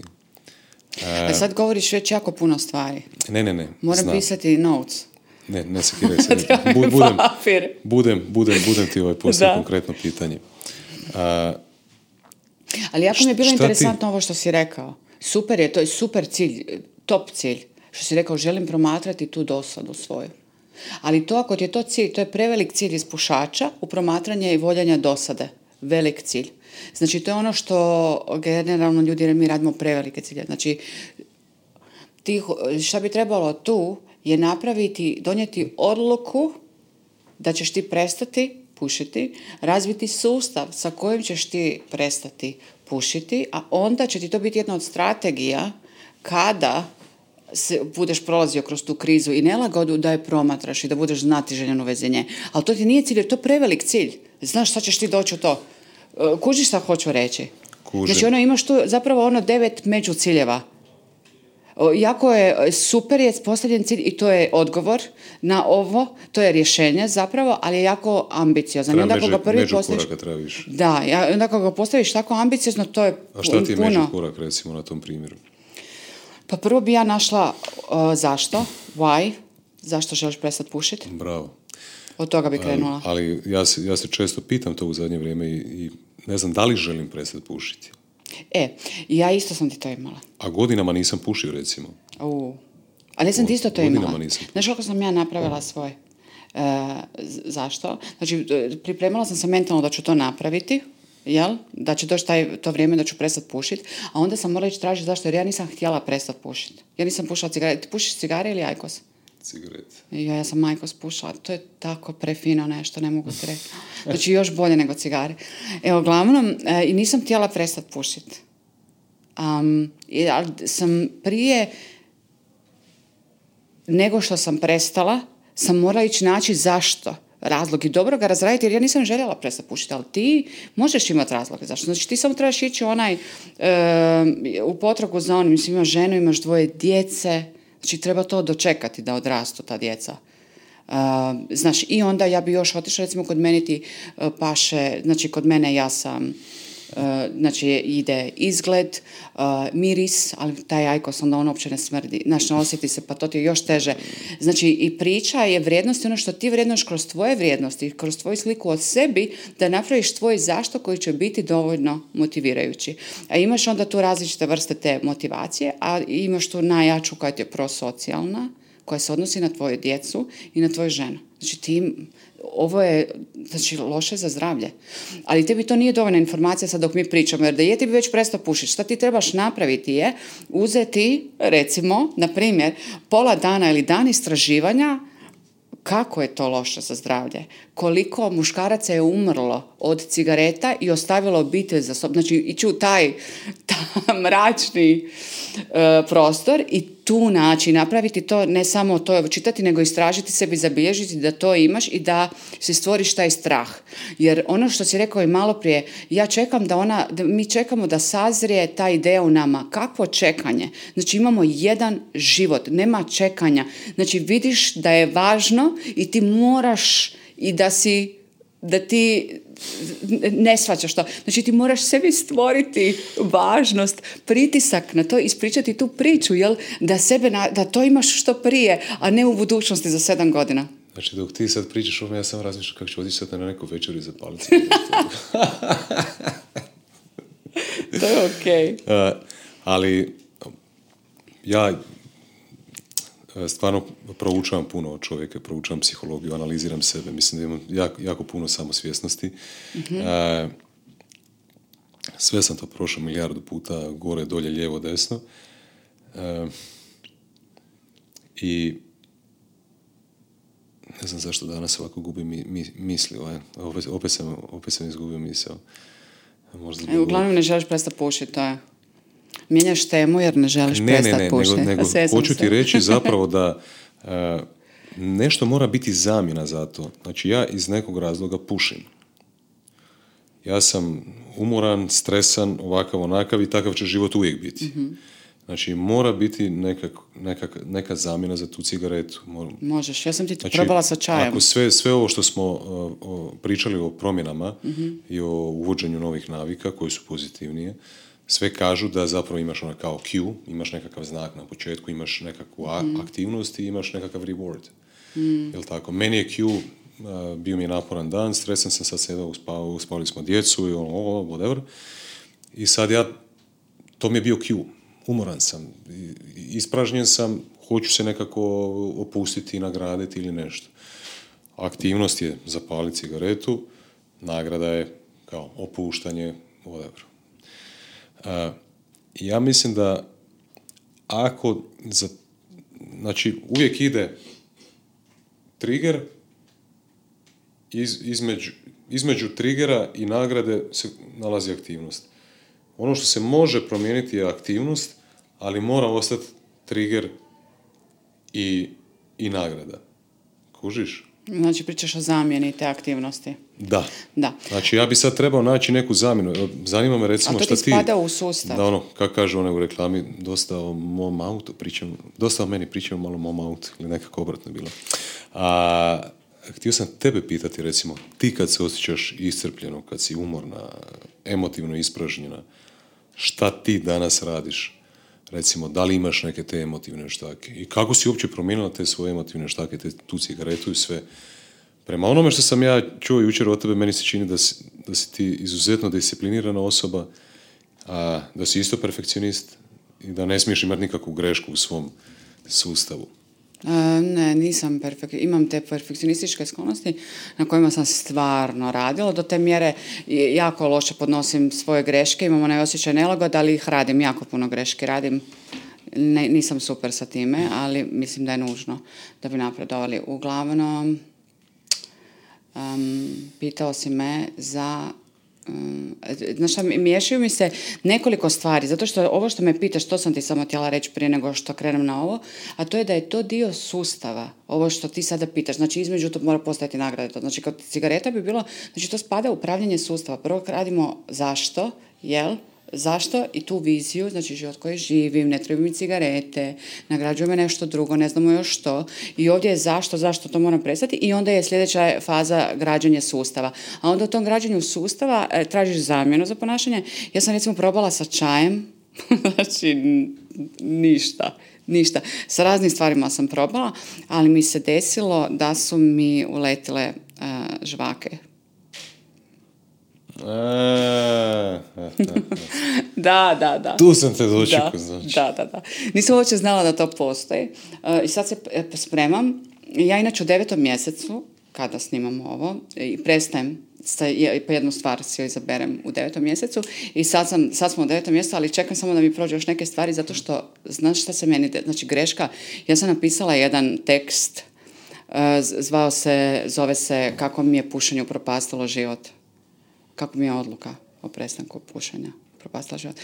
A sad govoriš već jako puno stvari. Ne. Moram pisati notes. Ne sekiraj se. Budem ti poslije konkretno pitanje. Ali jako mi je bilo interesantno ovo što si rekao. Super je, to je super cilj, top cilj. Što si rekao, želim promatrati tu dosadu svoju. Ali to, ako ti je to cilj, to je prevelik cilj iz pušača u promatranje i voljanja dosade. Velik cilj. Znači, to je ono što generalno ljudi, mi radimo prevelike cilje. Znači, šta bi trebalo tu je donijeti odluku da ćeš ti prestati pušiti, razviti sustav sa kojim ćeš ti prestati pušiti, a onda će ti to biti jedna od strategija kada budeš prolazio kroz tu krizu i nelagodu da je promatraš i da budeš znati željeno u vezi nje. Ali to ti nije cilj, jer to je prevelik cilj. Znaš šta ćeš ti doći u to? Kužiš šta hoću reći? Kužim. Znači imaš tu zapravo 9 među ciljeva. Jako je super je postavljen cilj i to je odgovor na ovo, to je rješenje zapravo, ali je jako ambiciozan. Međukoraka treba više. Da, onda kako ga postaviš tako ambiciozno, to je puno. A šta ti je međukorak, recimo, na tom primjeru? Pa prvo bi ja našla zašto, why, zašto želiš prestati pušiti. Bravo. Od toga bi krenula. Ali ja se često pitam to u zadnje vrijeme i ne znam da li želim prestati pušiti. Ja isto sam ti to imala. A godinama nisam pušio, recimo. A ne sam ti isto to imala. Nisam. Znaš kako sam ja napravila svoj? Zašto? Znači, pripremala sam se mentalno da ću to napraviti, jel? Da će doći to vrijeme da ću prestati pušiti, a onda sam morala ići tražiti zašto, jer ja nisam htjela prestati pušiti. Ja nisam pušila cigare. Ti pušiš cigare ili ajkos? cigarete. Ja sam majko spušala, to je tako prefino nešto, ne mogu ti reći. Znači još bolje nego cigare. Evo, uglavnom, i nisam htjela prestati pušiti. Ali sam prije nego što sam prestala, sam morala ići naći zašto. Razlog i dobro ga razraditi, jer ja nisam željela prestati pušiti, ali ti možeš imati razloge zašto. Znači ti samo trebaš ići u potragu za onim, mislim, imaš ženu, imaš 2 djece, znači treba to dočekati da odrastu ta djeca. Znaš, i onda ja bi još otišla, recimo kod mene ti paše, znači kod mene ja sam, znači ide izgled, miris, ali taj ajkos onda on uopće ne smrdi, znači ne osjeti se, pa to ti je još teže. Znači i priča je vrijednost, ono što ti vrednoš kroz tvoje vrijednosti, kroz tvoju sliku od sebi, da napraviš tvoj zašto koji će biti dovoljno motivirajući. A imaš onda tu različite vrste te motivacije, a imaš tu najjaču koja ti je prosocijalna, koja se odnosi na tvoju djecu i na tvoju ženu. Znači ovo je, znači, loše za zdravlje. Ali tebi to nije dovoljna informacija sad dok mi pričamo, jer da je ti bi već prestao pušiti. Šta ti trebaš napraviti je uzeti, recimo, na primjer, pola dana ili dan istraživanja kako je to loše za zdravlje. Koliko muškaraca je umrlo od cigareta i ostavilo obitelj za sobom. Znači, ići u taj mračni prostor i tu napraviti to, ne samo to čitati, nego istražiti sebi, zabilježiti da to imaš i da si stvoriš taj strah. Jer ono što si rekao i malo prije, ja čekam da mi čekamo da sazrije ta ideja u nama. Kakvo čekanje? Znači imamo jedan život, nema čekanja. Znači vidiš da je važno i ti moraš i da ti ne shvaćaš to. Znači ti moraš sebi stvoriti važnost, pritisak na to, ispričati tu priču, jel? Da to imaš što prije, a ne u budućnosti za 7 godina. Znači dok ti sad pričaš o me, ja sam razmišljam kako ću otići sad na neku večeru i zapaliti. To je okej. Ali ja stvarno proučavam puno od čovjeka, proučavam psihologiju, analiziram sebe. Mislim da imam jako puno samosvjesnosti. Mm-hmm. Sve sam to prošao 1000 puta, gore, dolje, lijevo, desno. I ne znam zašto danas ovako gubim misli. Opet sam izgubio misao. Uglavnom ne želiš prestati pušiti, to je. Mijenjaš temu jer ne želiš prestati pušiti. Nego hoću ti reći zapravo da nešto mora biti zamjena za to. Znači ja iz nekog razloga pušim. Ja sam umoran, stresan, ovakav, onakav i takav će život uvijek biti. Mm-hmm. Znači mora biti neka zamjena za tu cigaretu. Možeš, ja sam ti probala sa čajem. Ako sve ovo što smo pričali o promjenama mm-hmm. i o uvođenju novih navika koje su pozitivnije, sve kažu da zapravo imaš kao cue, imaš nekakav znak na početku, imaš nekakvu aktivnost i imaš nekakav reward. Jel tako? Meni je cue, bio mi je naporan dan, stresan sam, sad se uspavali smo djecu i whatever. I sad to mi je bio cue. Umoran sam, ispražnjen sam, hoću se nekako opustiti i nagraditi ili nešto. Aktivnost je zapaliti cigaretu, nagrada je kao opuštanje, whatever. Ja mislim da znači uvijek ide trigger, između triggera i nagrade se nalazi aktivnost. Ono što se može promijeniti je aktivnost, ali mora ostati trigger i nagrada. Kužiš? Znači pričaš o zamjeni te aktivnosti. Da. Znači ja bi sad trebao naći neku zamjenu. Zanima me recimo šta ti... A to ti spada u sustav. Da kako kažu one u reklami, dosta o mom autu pričam, dosta o meni pričam, malo o mom autu, ili nekako obratno bilo. Htio sam tebe pitati recimo, ti kad se osjećaš iscrpljeno, kad si umorna, emotivno ispražnjena, šta ti danas radiš? Recimo, da li imaš neke te emotivne štake? I kako si uopće promijenila te svoje emotivne štake, tu cigaretu i sve? Prema onome što sam ja čuo jučer od tebe, meni se čini da si ti izuzetno disciplinirana osoba, a da si isto perfekcionist i da ne smiješ imati nikakvu grešku u svom sustavu. Ne, nisam imam te perfekcionističke sklonosti na kojima sam stvarno radila. Do te mjere jako loše podnosim svoje greške, imam onaj osjećaj nelagode, ali ih radim, jako puno greške radim. nisam super sa time, ali mislim da je nužno da bi napredovali. Uglavnom, pitao si me za... Znaš šta, miješaju mi se nekoliko stvari, zato što ovo što me pitaš, to sam ti samo htjela reći prije nego što krenem na ovo, a to je da je to dio sustava, ovo što ti sada pitaš, znači između to mora postojati nagrada, znači kod cigareta bi bilo, znači to spada u upravljanje sustava, prvo radimo zašto, jel? Zašto i tu viziju, znači život koji živim, ne trebaju mi cigarete, nagrađuje me nešto drugo, ne znamo još što. I ovdje je zašto to moram prestati i onda je sljedeća faza građenje sustava. A onda u tom građenju sustava tražiš zamjenu za ponašanje. Ja sam recimo probala sa čajem, znači ništa. Sa raznim stvarima sam probala, ali mi se desilo da su mi uletile žvake. Da. Tu sam te dočekao, znači. Da. Nisam uopće znala da to postoji. I sad se spremam. Ja inače u 9. mjesecu, kada snimam ovo, i prestajem, po jednu stvar si joj izaberem u 9. mjesecu i sad smo u 9. mjesecu, ali čekam samo da mi prođe još neke stvari, zato što, znaš šta se meni, znači greška, ja sam napisala jedan tekst, zove se Kako mi je pušenje upropastilo život. Kako mi je odluka o prestanku pušenja propastila život.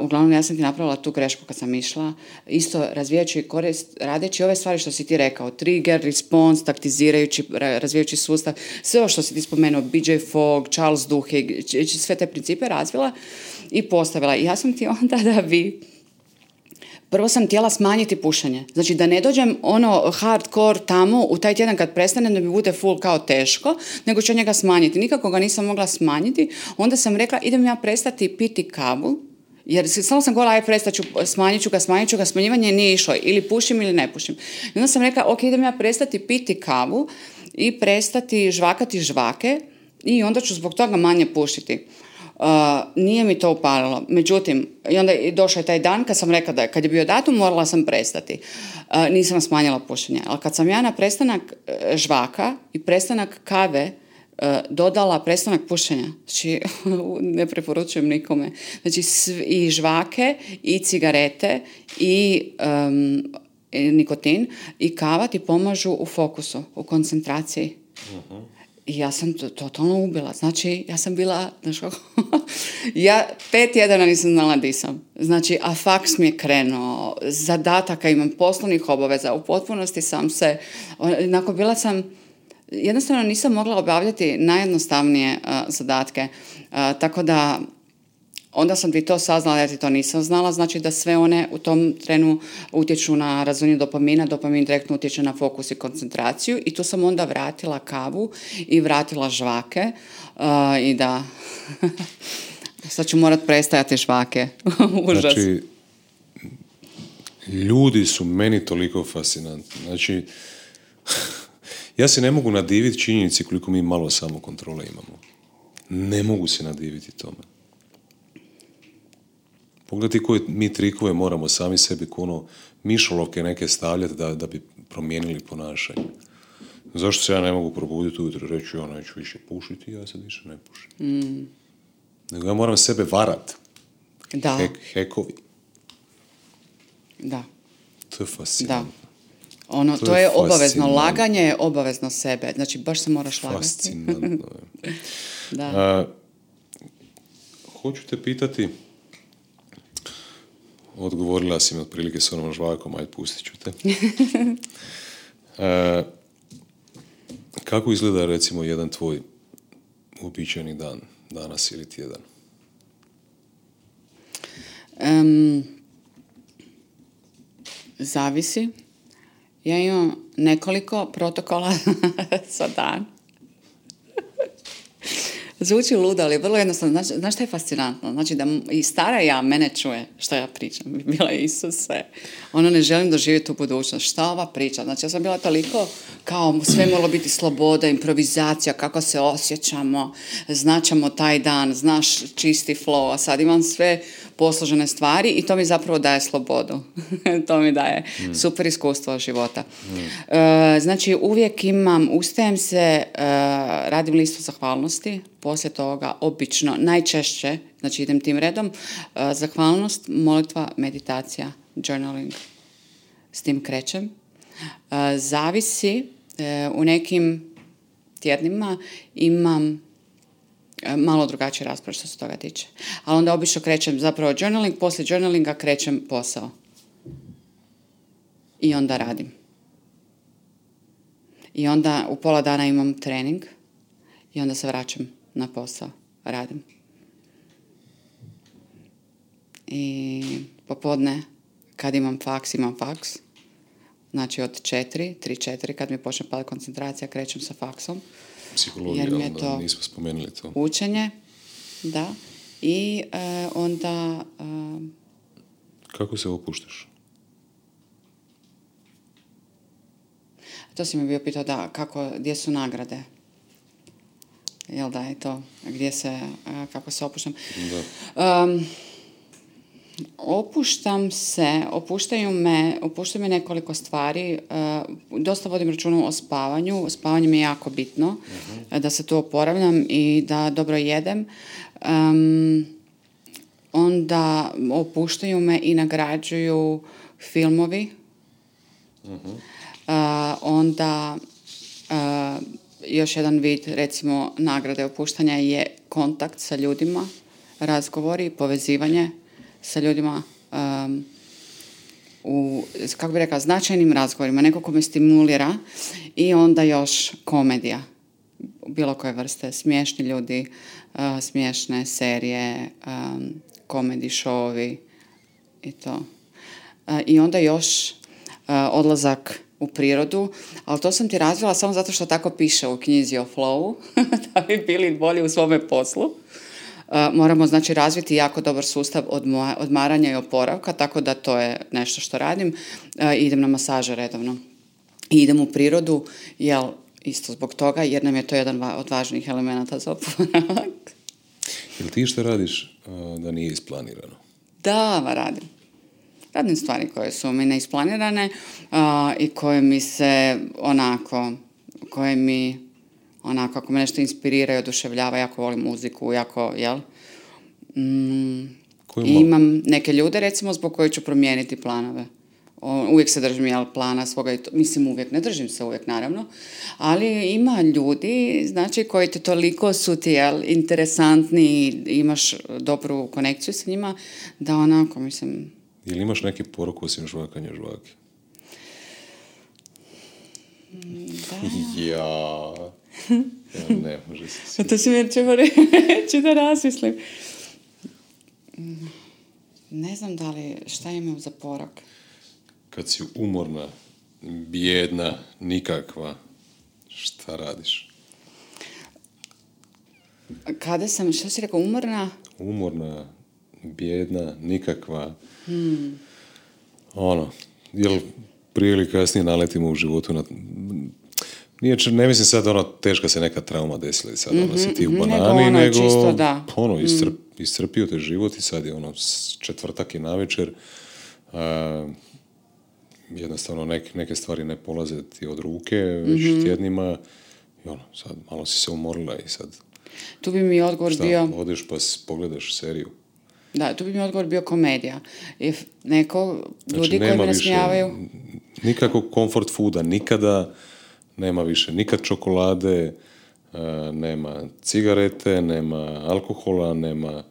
Uglavnom, ja sam ti napravila tu grešku kad sam išla, isto razvijajući korist, radeći ove stvari što si ti rekao, trigger, response, taktizirajući, razvijajući sustav, sve ovo što si ti spomenuo, BJ Fogg, Charles Duhigg, sve te principe razvila i postavila. I ja sam ti onda da bi... Prvo sam htjela smanjiti pušenje. Znači da ne dođem hardcore tamo u taj tjedan kad prestanem da mi bude full kao teško, nego ću njega smanjiti. Nikako ga nisam mogla smanjiti. Onda sam rekla idem ja prestati piti kavu, jer samo sam govorila smanjit ću ga, smanjivanje nije išlo. Ili pušim ili ne pušim. I onda sam rekla ok, idem ja prestati piti kavu i prestati žvakati žvake i onda ću zbog toga manje pušiti. Nije mi to upalilo. Međutim, i onda je došao taj dan kad sam rekla da kad je bio datum morala sam prestati. Nisam smanjila pušenje. Ali kad sam ja na prestanak žvaka i prestanak kave dodala prestanak pušenja, znači ne preporučujem nikome. Znači i žvake i cigarete i nikotin i kava ti pomažu u fokusu, u koncentraciji. Uh-huh. I ja sam totalno ubila. Znači, ja sam bila, znaš kako, ja 5 tjedana nisam znala di sam. Znači, a faks mi je krenuo, zadataka imam, poslovnih obaveza, u potpunosti sam se, bila sam, jednostavno nisam mogla obavljati najjednostavnije zadatke. Tako da, onda sam ti to saznala, ja ti to nisam znala, znači da sve one u tom trenu utječu na razvijanje dopamina, dopamin direktno utječe na fokus i koncentraciju i tu sam onda vratila kavu i vratila žvake i da, sad ću morat prestajati žvake. Užas. Znači, ljudi su meni toliko fascinantni. Znači, ja se ne mogu nadiviti činjenici koliko mi malo samokontrole imamo. Ne mogu se nadiviti tome. Pogledajte koje mi trikove moramo sami sebi mišolovke neke stavljati da bi promijenili ponašanje. Zašto se ja ne mogu probuditi ujutro i reći ja neću više pušiti, ja sad više ne pušim. Nego ja moram sebe varat. Da. Hekovi. Da. To je fascinantno. Da. To je obavezno. Laganje je obavezno sebe. Znači, baš se moraš lagati. Fascinantno. Da. Hoću te pitati, odgovorila si mi otprilike s onom žvakom, ajde pustit ću te. Kako izgleda recimo jedan tvoj uobičajeni dan, danas ili tjedan? Zavisi. Ja imam nekoliko protokola za dan. Zvuči ludo, ali vrlo jednostavno. Znaš što je fascinantno? Znači da i stara ja mene čuje što ja pričam. Bila je Isuse. Ne želim doživjeti u budućnost. Šta ova priča? Znači ja sam bila toliko kao sve moralo biti sloboda, improvizacija, kako se osjećamo, značamo taj dan, znaš čisti flow, a sad imam sve posložene stvari i to mi zapravo daje slobodu. To mi daje super iskustvo života. Znači uvijek ustajem se, radim listu zahvalnosti, poslije toga obično, najčešće, znači idem tim redom, zahvalnost, molitva, meditacija, journaling. S tim krećem. Zavisi, u nekim tjednima imam malo drugačiji raspored što se toga tiče. Ali onda obično krećem zapravo journaling, poslije journalinga krećem posao. I onda radim. I onda u pola dana imam trening i onda se vraćam na posao. Radim. I popodne kad imam faks. Znači od 3-4, kad mi počne padati koncentracija, krećem sa faksom. Psihologija, jer mi je to nismo spomenuli to. Učenje, da. I onda... Kako se opuštaš? To si mi bio pitao, da, gdje su nagrade? Jel da je to? Kako se opuštam? Da. Opuštaju me nekoliko stvari. Dosta vodim računa o spavanju. Spavanje mi je jako bitno, da se tu oporavljam i da dobro jedem. Onda opuštaju me i nagrađuju filmovi. Onda još jedan vid, recimo, nagrade opuštanja je kontakt sa ljudima, razgovori, povezivanje sa ljudima u, kako bih rekla, značajnim razgovorima, neko ko me stimulira, i onda još komedija, bilo koje vrste, smiješni ljudi, smiješne serije, komedi showovi i to. I onda još odlazak u prirodu, ali to sam ti razvila samo zato što tako piše u knjizi o flowu, da bi bili bolji u svome poslu. Moramo, znači, razviti jako dobar sustav odmaranja i oporavka, tako da to je nešto što radim. Idem na masaže redovno. I idem u prirodu, isto zbog toga, jer nam je to jedan od važnijih elemenata za oporavak. Jel ti što radiš da nije isplanirano? Da, radim. Radim stvari koje su mi neisplanirane i koje mi se ako me nešto inspirira i oduševljava, jako volim muziku, imam neke ljude, recimo, zbog koji ću promijeniti planove. Uvijek se držim plana svoga, mislim uvijek, ne držim se uvijek, naravno, ali ima ljudi, znači, koji te toliko su ti interesantni i imaš dobru konekciju sa njima, da mislim... Ili imaš neki poruku osim žvakanja žvake? Da. Ja, ne može se sviđati. To si mi reći da razmislim. Ne znam šta imam za porok. Kad si umorna, bijedna, nikakva, šta radiš? Kada sam, što si rekao, umorna? Umorna, bijedna, nikakva. Jel prije ili kasnije naletimo u životu na... Ne mislim sad teška se neka trauma desila i sad si ti u banani, nego čisto, da. Iscrpio te život i sad je četvrtak i navečer. Jednostavno neke stvari ne polaze ti od ruke već tjednima i sad malo si se umorila i sad... Tu bi mi odgovor bio... Odeš pa pogledaš seriju. Da, tu bi mi odgovor bio komedija. Ljudi koji me nasmijavaju... Nikakvog comfort fooda, nikada nema više, nikad čokolade, nema cigarete, nema alkohola, nema...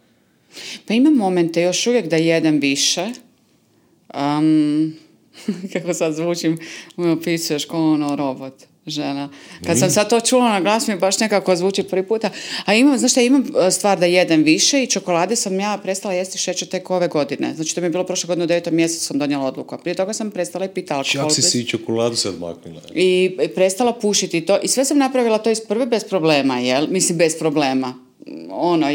Pa imam momente još uvijek da jedem više. Kako sad zvučim, me opisuješ kao robot, žena. Kad sam sad to čula na glas, mi baš nekako zvuči prvi puta. A imam stvar da jedem više i čokolade sam ja prestala jesti šećer tek ove godine. Znači, to mi je bilo prošle godine u 9. mjesecu sam donijela odluku. Prije toga sam prestala i piti alkohol. Čak si čokoladu sad maknila. I prestala pušiti to. I sve sam napravila to iz prve bez problema, jel? Mislim, bez problema.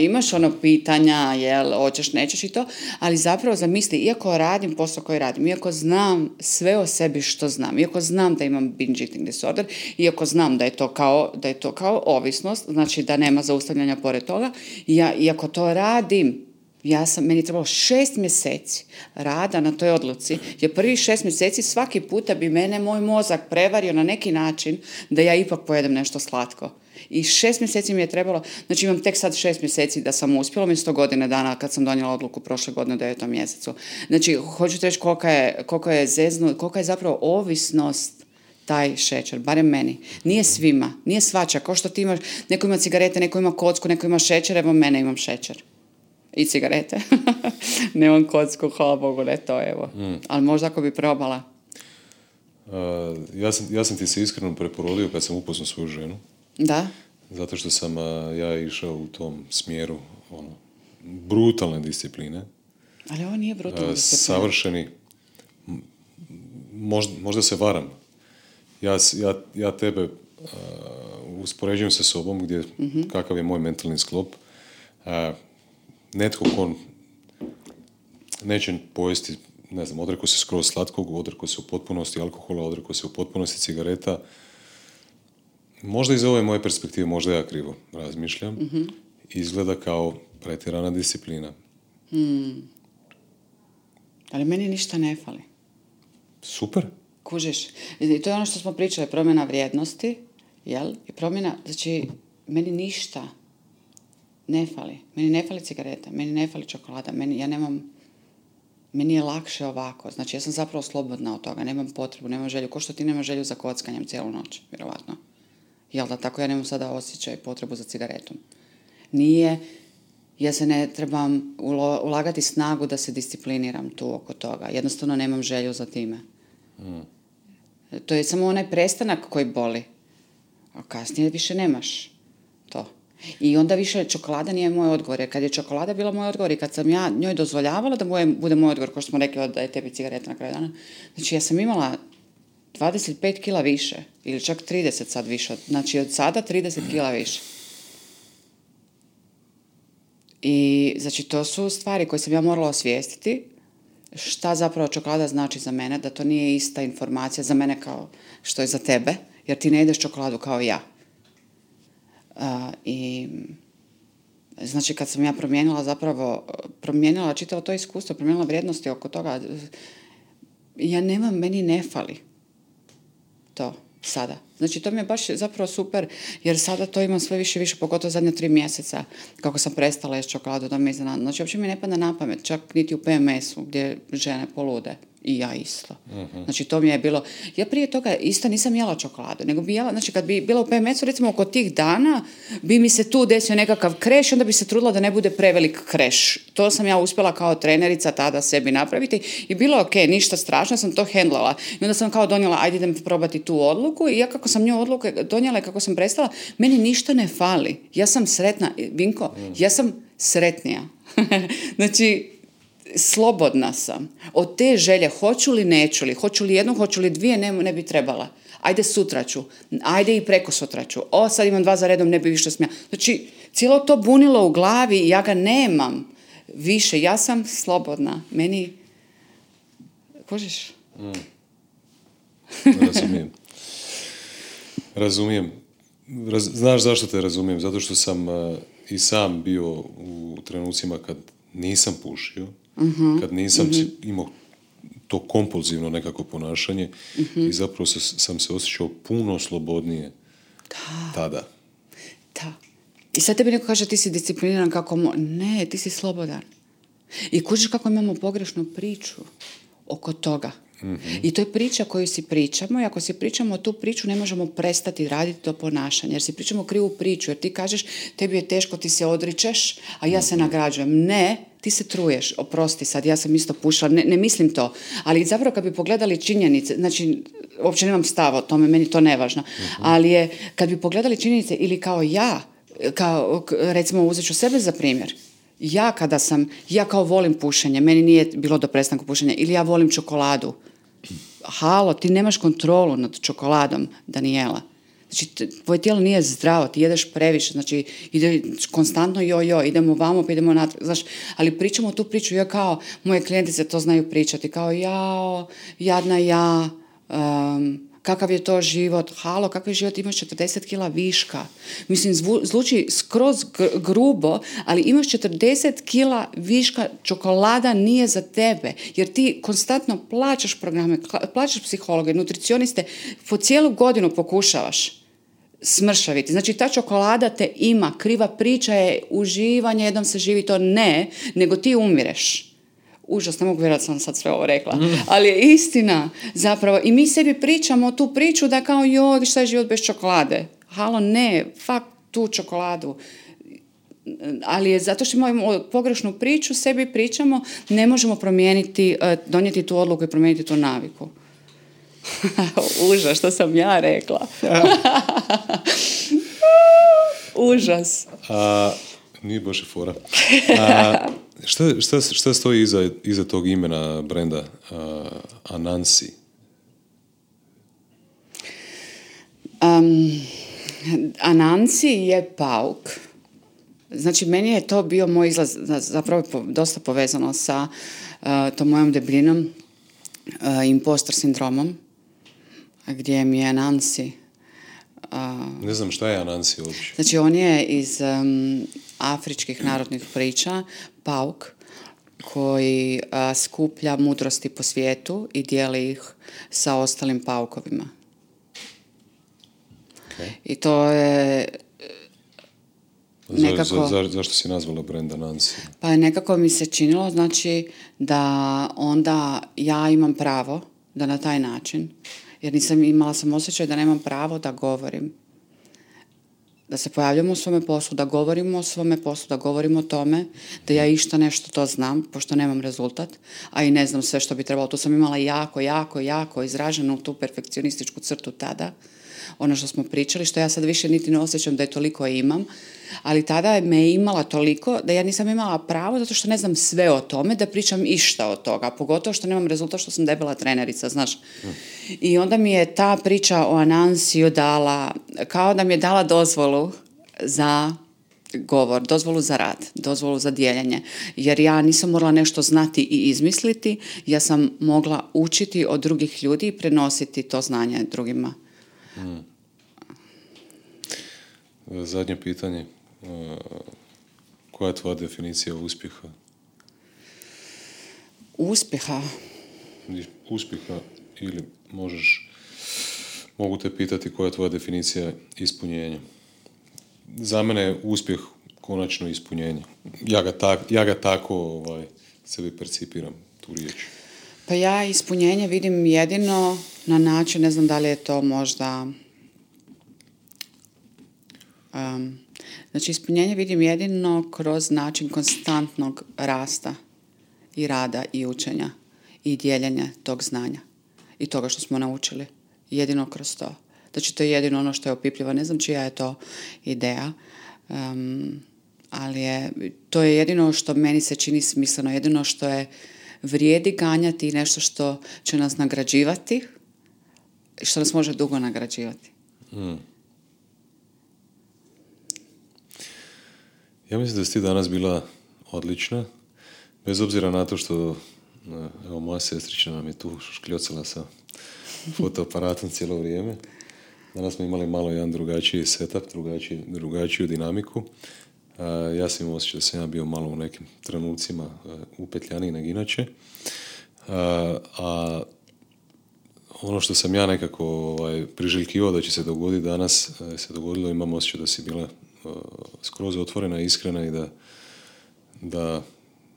Imaš pitanja, hoćeš, nećeš i to, ali zapravo zamisli, iako radim posao koji radim, iako znam sve o sebi što znam, iako znam da imam binge eating disorder, iako znam da je to kao ovisnost, znači da nema zaustavljanja pored toga, iako to radim, meni je trebalo 6 mjeseci rada na toj odluci, jer prvih 6 mjeseci svaki puta bi moj mozak prevario na neki način da ja ipak pojedem nešto slatko. I 6 mjeseci mi je trebalo, znači imam tek sad 6 mjeseci da sam uspjela, umjesto godine dana kad sam donijela odluku prošle godine u 9. mjesecu. Znači, hoću ti reći koliko je zezno, kolika je zapravo ovisnost taj šećer, barem meni. Nije svima, nije svača, kao što ti imaš, neko ima cigarete, neko ima kocku, neko ima šećer, evo mene imam šećer. I cigarete. Nemam kocku, hvala Bogu, ne to, evo. Ali možda ako bi probala. Ja sam ti se iskreno preporodio kad sam upoznao svoju ženu. Da? Zato što sam ja išao u tom smjeru brutalne discipline. Ali ovo nije brutalna disciplina. Savršeni. Možda se varam. Ja tebe uspoređujem sa sobom gdje kakav je moj mentalni sklop. Netko ko neće pojesti, ne znam, odrekao se skroz slatkog, odrekao se u potpunosti alkohola, odrekao se u potpunosti cigareta. Možda iz ove moje perspektive, možda ja krivo razmišljam, izgleda kao pretjerana disciplina. Ali meni ništa ne fali. Super. Kužiš. I to je ono što smo pričali, promjena vrijednosti, jel? I promjena, znači, meni ništa ne fali. Meni ne fali cigareta, meni ne fali čokolada, meni je lakše ovako. Znači, ja sam zapravo slobodna od toga, nemam potrebu, nemam želju. Ko što ti nema želju za kockanjem cijelu noć, vjerovatno. Jel da, tako ja nemam sada osjećaj potrebu za cigaretom. Nije, ja se ne trebam ulagati snagu da se discipliniram tu oko toga. Jednostavno nemam želju za time. To je samo onaj prestanak koji boli. A kasnije više nemaš to. I onda više čokolada nije moj odgovor. Jer kad je čokolada bila moj odgovor i kad sam ja njoj dozvoljavala da bude moj odgovor, kao što smo rekli da je tebi cigareta na kraju dana. Znači ja sam imala 25 kila više. Ili čak 30 sad više. Znači od sada 30 kila više. I znači to su stvari koje sam ja morala osvijestiti. Šta zapravo čokolada znači za mene, da to nije ista informacija za mene kao što je za tebe, jer ti ne jedeš čokoladu kao ja. I znači kad sam ja promijenila čitavo to iskustvo, promijenila vrijednosti oko toga, meni ne fali to sada. Znači to mi je baš zapravo super, jer sada to imam sve više i više, pogotovo zadnje 3 mjeseca, kako sam prestala jesti čokoladu, da me iznenadilo. Znači uopće mi ne pada na pamet, čak niti u PMS-u, gdje žene polude. I ja isto. Znači to mi je bilo, ja prije toga isto nisam jela čokoladu, nego bi jela, znači kad bi bila u PMS-u, recimo oko tih dana, bi mi se tu desio nekakav kreš, onda bi se trudila da ne bude prevelik kreš. To sam ja uspjela kao trenerica tada sebi napraviti i bilo ok, ništa strašno, sam to hendlala. I onda sam kao donijela, ajde idem probati tu odluku i ja kako sam nju odluku donijela i kako sam prestala, meni ništa ne fali. Ja sam sretna, Vinko, ja sam sretnija. Znači, slobodna sam. Od te želje, hoću li, neću li, hoću li jednu, hoću li dvije, ne bi trebala. Ajde sutra ću, ajde i preko sutra ću. Sad imam 2 za redom, ne bi više smjela. Znači, cijelo to bunilo u glavi i ja ga nemam više. Ja sam slobodna. Meni... Kužiš? Razumijem. Znaš zašto te razumijem? Zato što sam i sam bio u trenucima kad nisam pušio, kad nisam imao to kompulzivno nekako ponašanje i zapravo sam se osjećao puno slobodnije tada. Da. I sad tebi neko kaže ti si discipliniran kako ne, ti si slobodan. I kužiš kako imamo pogrešnu priču oko toga. I to je priča koju si pričamo i ako si pričamo tu priču ne možemo prestati raditi to ponašanje jer si pričamo krivu priču jer ti kažeš tebi je teško, ti se odričeš a ja se nagrađujem. Ne, ti se truješ, oprosti sad, ja sam isto pušila, ne mislim to, ali zapravo kad bi pogledali činjenice, znači uopće nemam stava o tome, meni to nevažno, ali je kad bi pogledali činjenice ili kao ja, kao recimo uzet ću sebe za primjer, ja kao volim pušenje, meni nije bilo do prestanka pušenja, ili ja volim čokoladu. Halo, ti nemaš kontrolu nad čokoladom, Danijela. Znači, tvoje tijelo nije zdravo, ti jedeš previše, znači, ide konstantno idemo vamo, pa idemo natrag, znaš, ali pričamo tu priču, ja kao, moje klijentice to znaju pričati, kao, jao, jadna ja, kakav je to život, halo, kakav je život, imaš 40 kila viška. Mislim, zvuči skroz grubo, ali imaš 40 kila viška, čokolada nije za tebe, jer ti konstantno plaćaš programe, plaćaš psihologe, nutricioniste, po cijelu godinu pokušavaš smršaviti. Znači, ta čokolada te ima, kriva priča je uživanje, jednom se živi, to ne, nego ti umireš. Užas, ne mogu vjerojatno sam sad sve ovo rekla, ali je istina zapravo. I mi sebi pričamo tu priču da kao, joj, šta je život bez čokolade? Halo, ne, tu čokoladu. Ali je zato što imamo pogrešnu priču, sebi pričamo, ne možemo promijeniti, donijeti tu odluku i promijeniti tu naviku. Užas, što sam ja rekla. Užas. Nije baš i fora. Šta stoji iza tog imena brenda Anansi? Anansi je pauk. Znači, meni je to bio moj izlaz, zapravo dosta povezano sa tom mojom debljinom, impostor sindromom, gdje mi je Anansi. Ne znam šta je Anansi uopće. Znači, on je iz afričkih narodnih priča, pauk, koji skuplja mudrosti po svijetu i dijeli ih sa ostalim paukovima. Okay. I to je nekako... Zašto si nazvala brand Anansi? Pa nekako mi se činilo, znači, da onda ja imam pravo da na taj način, jer imala sam osjećaj da nemam pravo da govorim, da se pojavljamo u svome poslu, da govorimo o svome poslu, da govorimo o tome, da ja išta nešto to znam, pošto nemam rezultat, a i ne znam sve što bi trebalo. Tu sam imala jako izraženu tu perfekcionističku crtu tada, ono što smo pričali, što ja sad više niti ne osjećam da je toliko imam, ali tada me imala toliko da ja nisam imala pravo, zato što ne znam sve o tome, da pričam išta od toga, pogotovo što nemam rezultat, što sam debela trenerica, znaš. I onda mi je ta priča o Anansiju dala, kao da mi je dala dozvolu za govor, dozvolu za rad, dozvolu za dijeljenje. Jer ja nisam morala nešto znati i izmisliti, ja sam mogla učiti od drugih ljudi i prenositi to znanje drugima. Zadnje pitanje. Koja je tvoja definicija uspjeha? Uspjeha? Uspjeha ili mogu te pitati koja je tvoja definicija ispunjenja. Za mene je uspjeh konačno ispunjenje. Ja ga tako sebi percipiram, tu riječ. Pa ja ispunjenje vidim jedino na način, ne znam da li je to možda... Znači, ispunjenje vidim jedino kroz način konstantnog rasta i rada i učenja i dijeljenja tog znanja i toga što smo naučili. Jedino kroz to. Znači, to je jedino ono što je opipljivo. Ne znam čija je to ideja, ali to je jedino što meni se čini smisleno, jedino što je vrijedi ganjati i nešto što će nas nagrađivati, što nas može dugo nagrađivati. Ja mislim da si ti danas bila odlična, bez obzira na to što evo, moja sestrična nam je tu škljocala sa fotoaparatom cijelo vrijeme. Danas smo imali malo jedan drugačiji setup, drugačiju dinamiku. Ja sam imao osjećaj da sam ja bio malo u nekim trenucima upetljaniji nego inače. A ono što sam ja nekako priželjkivao da će se dogoditi danas, se dogodilo, imam osjećaj da si bila skroz otvorena, iskrena i da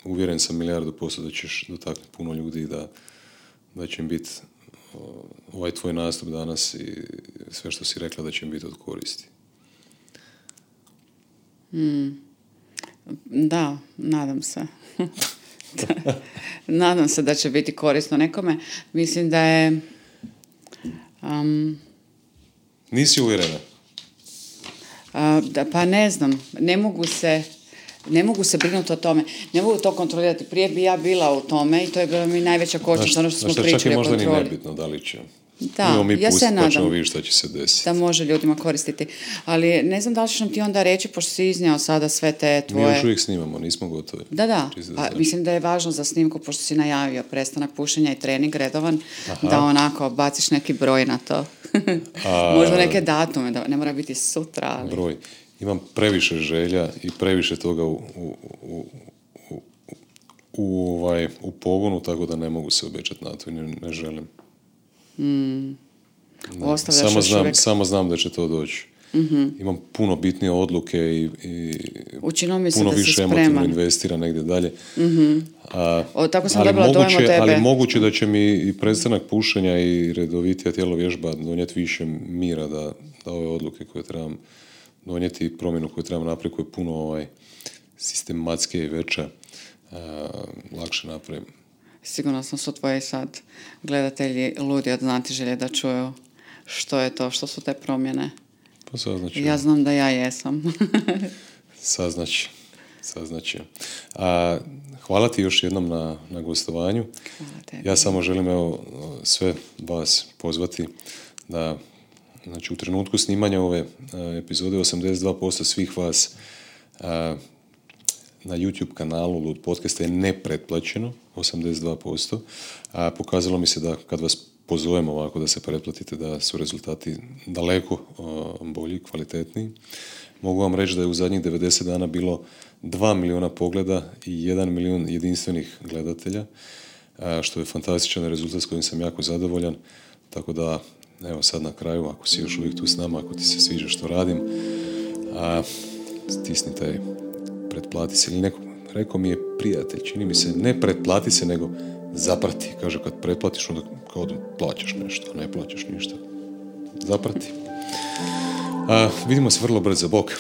uvjeren sam 1,000% da ćeš dotaknuti puno ljudi i da će im biti ovaj tvoj nastup danas i sve što si rekla da će im biti od koristi. Da, nadam se. Nadam se da će biti korisno nekome. Mislim da je... Nisi uvjerena? Pa ne znam. Ne mogu se brinuti o tome. Ne mogu to kontrolirati. Prije bi ja bila u tome i to je bila mi najveća kočnica, ono što smo pričali o kontroli. Čak je možda ni nebitno da li će. Da, ja se nadam pa ćemo vidjeti šta će se desiti. Da može ljudima koristiti. Ali ne znam da li ćeš nam ti onda reći, pošto si iznijao sada sve te tvoje... Mi još uvijek snimamo, nismo gotovi. Da. Mislim da je važno za snimku, pošto si najavio prestanak pušenja i trening redovan, da onako baciš neki broj na to. Možda neke datume, da ne mora biti sutra. Ali... Broj. Imam previše želja i previše toga u pogonu, tako da ne mogu se obećati na to i ne želim. Samo znam da će to doći. Imam puno bitnije odluke i učinilo mi se puno da si više spreman. emotivno investira negdje dalje. Tako sam dobila dojam od tebe. Ali moguće da će mi i prestanak pušenja i redovitija tjelovježba donijeti više mira da ove odluke koje trebam donijeti i promjenu koju trebam napraviti, koju je puno sistematske i veća, lakše napravim. Sigurno sam su tvoji sad gledatelji ludi od znatiželje da čuju što je to, što su te promjene. Pa saznaću. Ja znam da ja jesam. Saznaće. Hvala ti još jednom na gostovanju. Ja samo želim sve vas pozvati da, znači, u trenutku snimanja ove epizode 82% svih vas na YouTube kanalu Lud Podcasta je nepretplaćeno, 82%. Pokazalo mi se da kad vas pozovem ovako da se pretplatite, da su rezultati daleko bolji, kvalitetniji. Mogu vam reći da je u zadnjih 90 dana bilo 2 milijuna pogleda i 1 milijun jedinstvenih gledatelja, što je fantastičan rezultat s kojim sam jako zadovoljan. Tako da, evo sad na kraju, ako si još uvijek tu s nama, ako ti se sviđa što radim, stisni taj pretplati se. Ili neko, rekao mi je prijatelj, čini mi se, ne pretplati se, nego zaprati. Kaže, kad pretplatiš, onda kao da plaćaš nešto, a ne plaćaš ništa. Zaprati. Vidimo se vrlo brzo. Bok.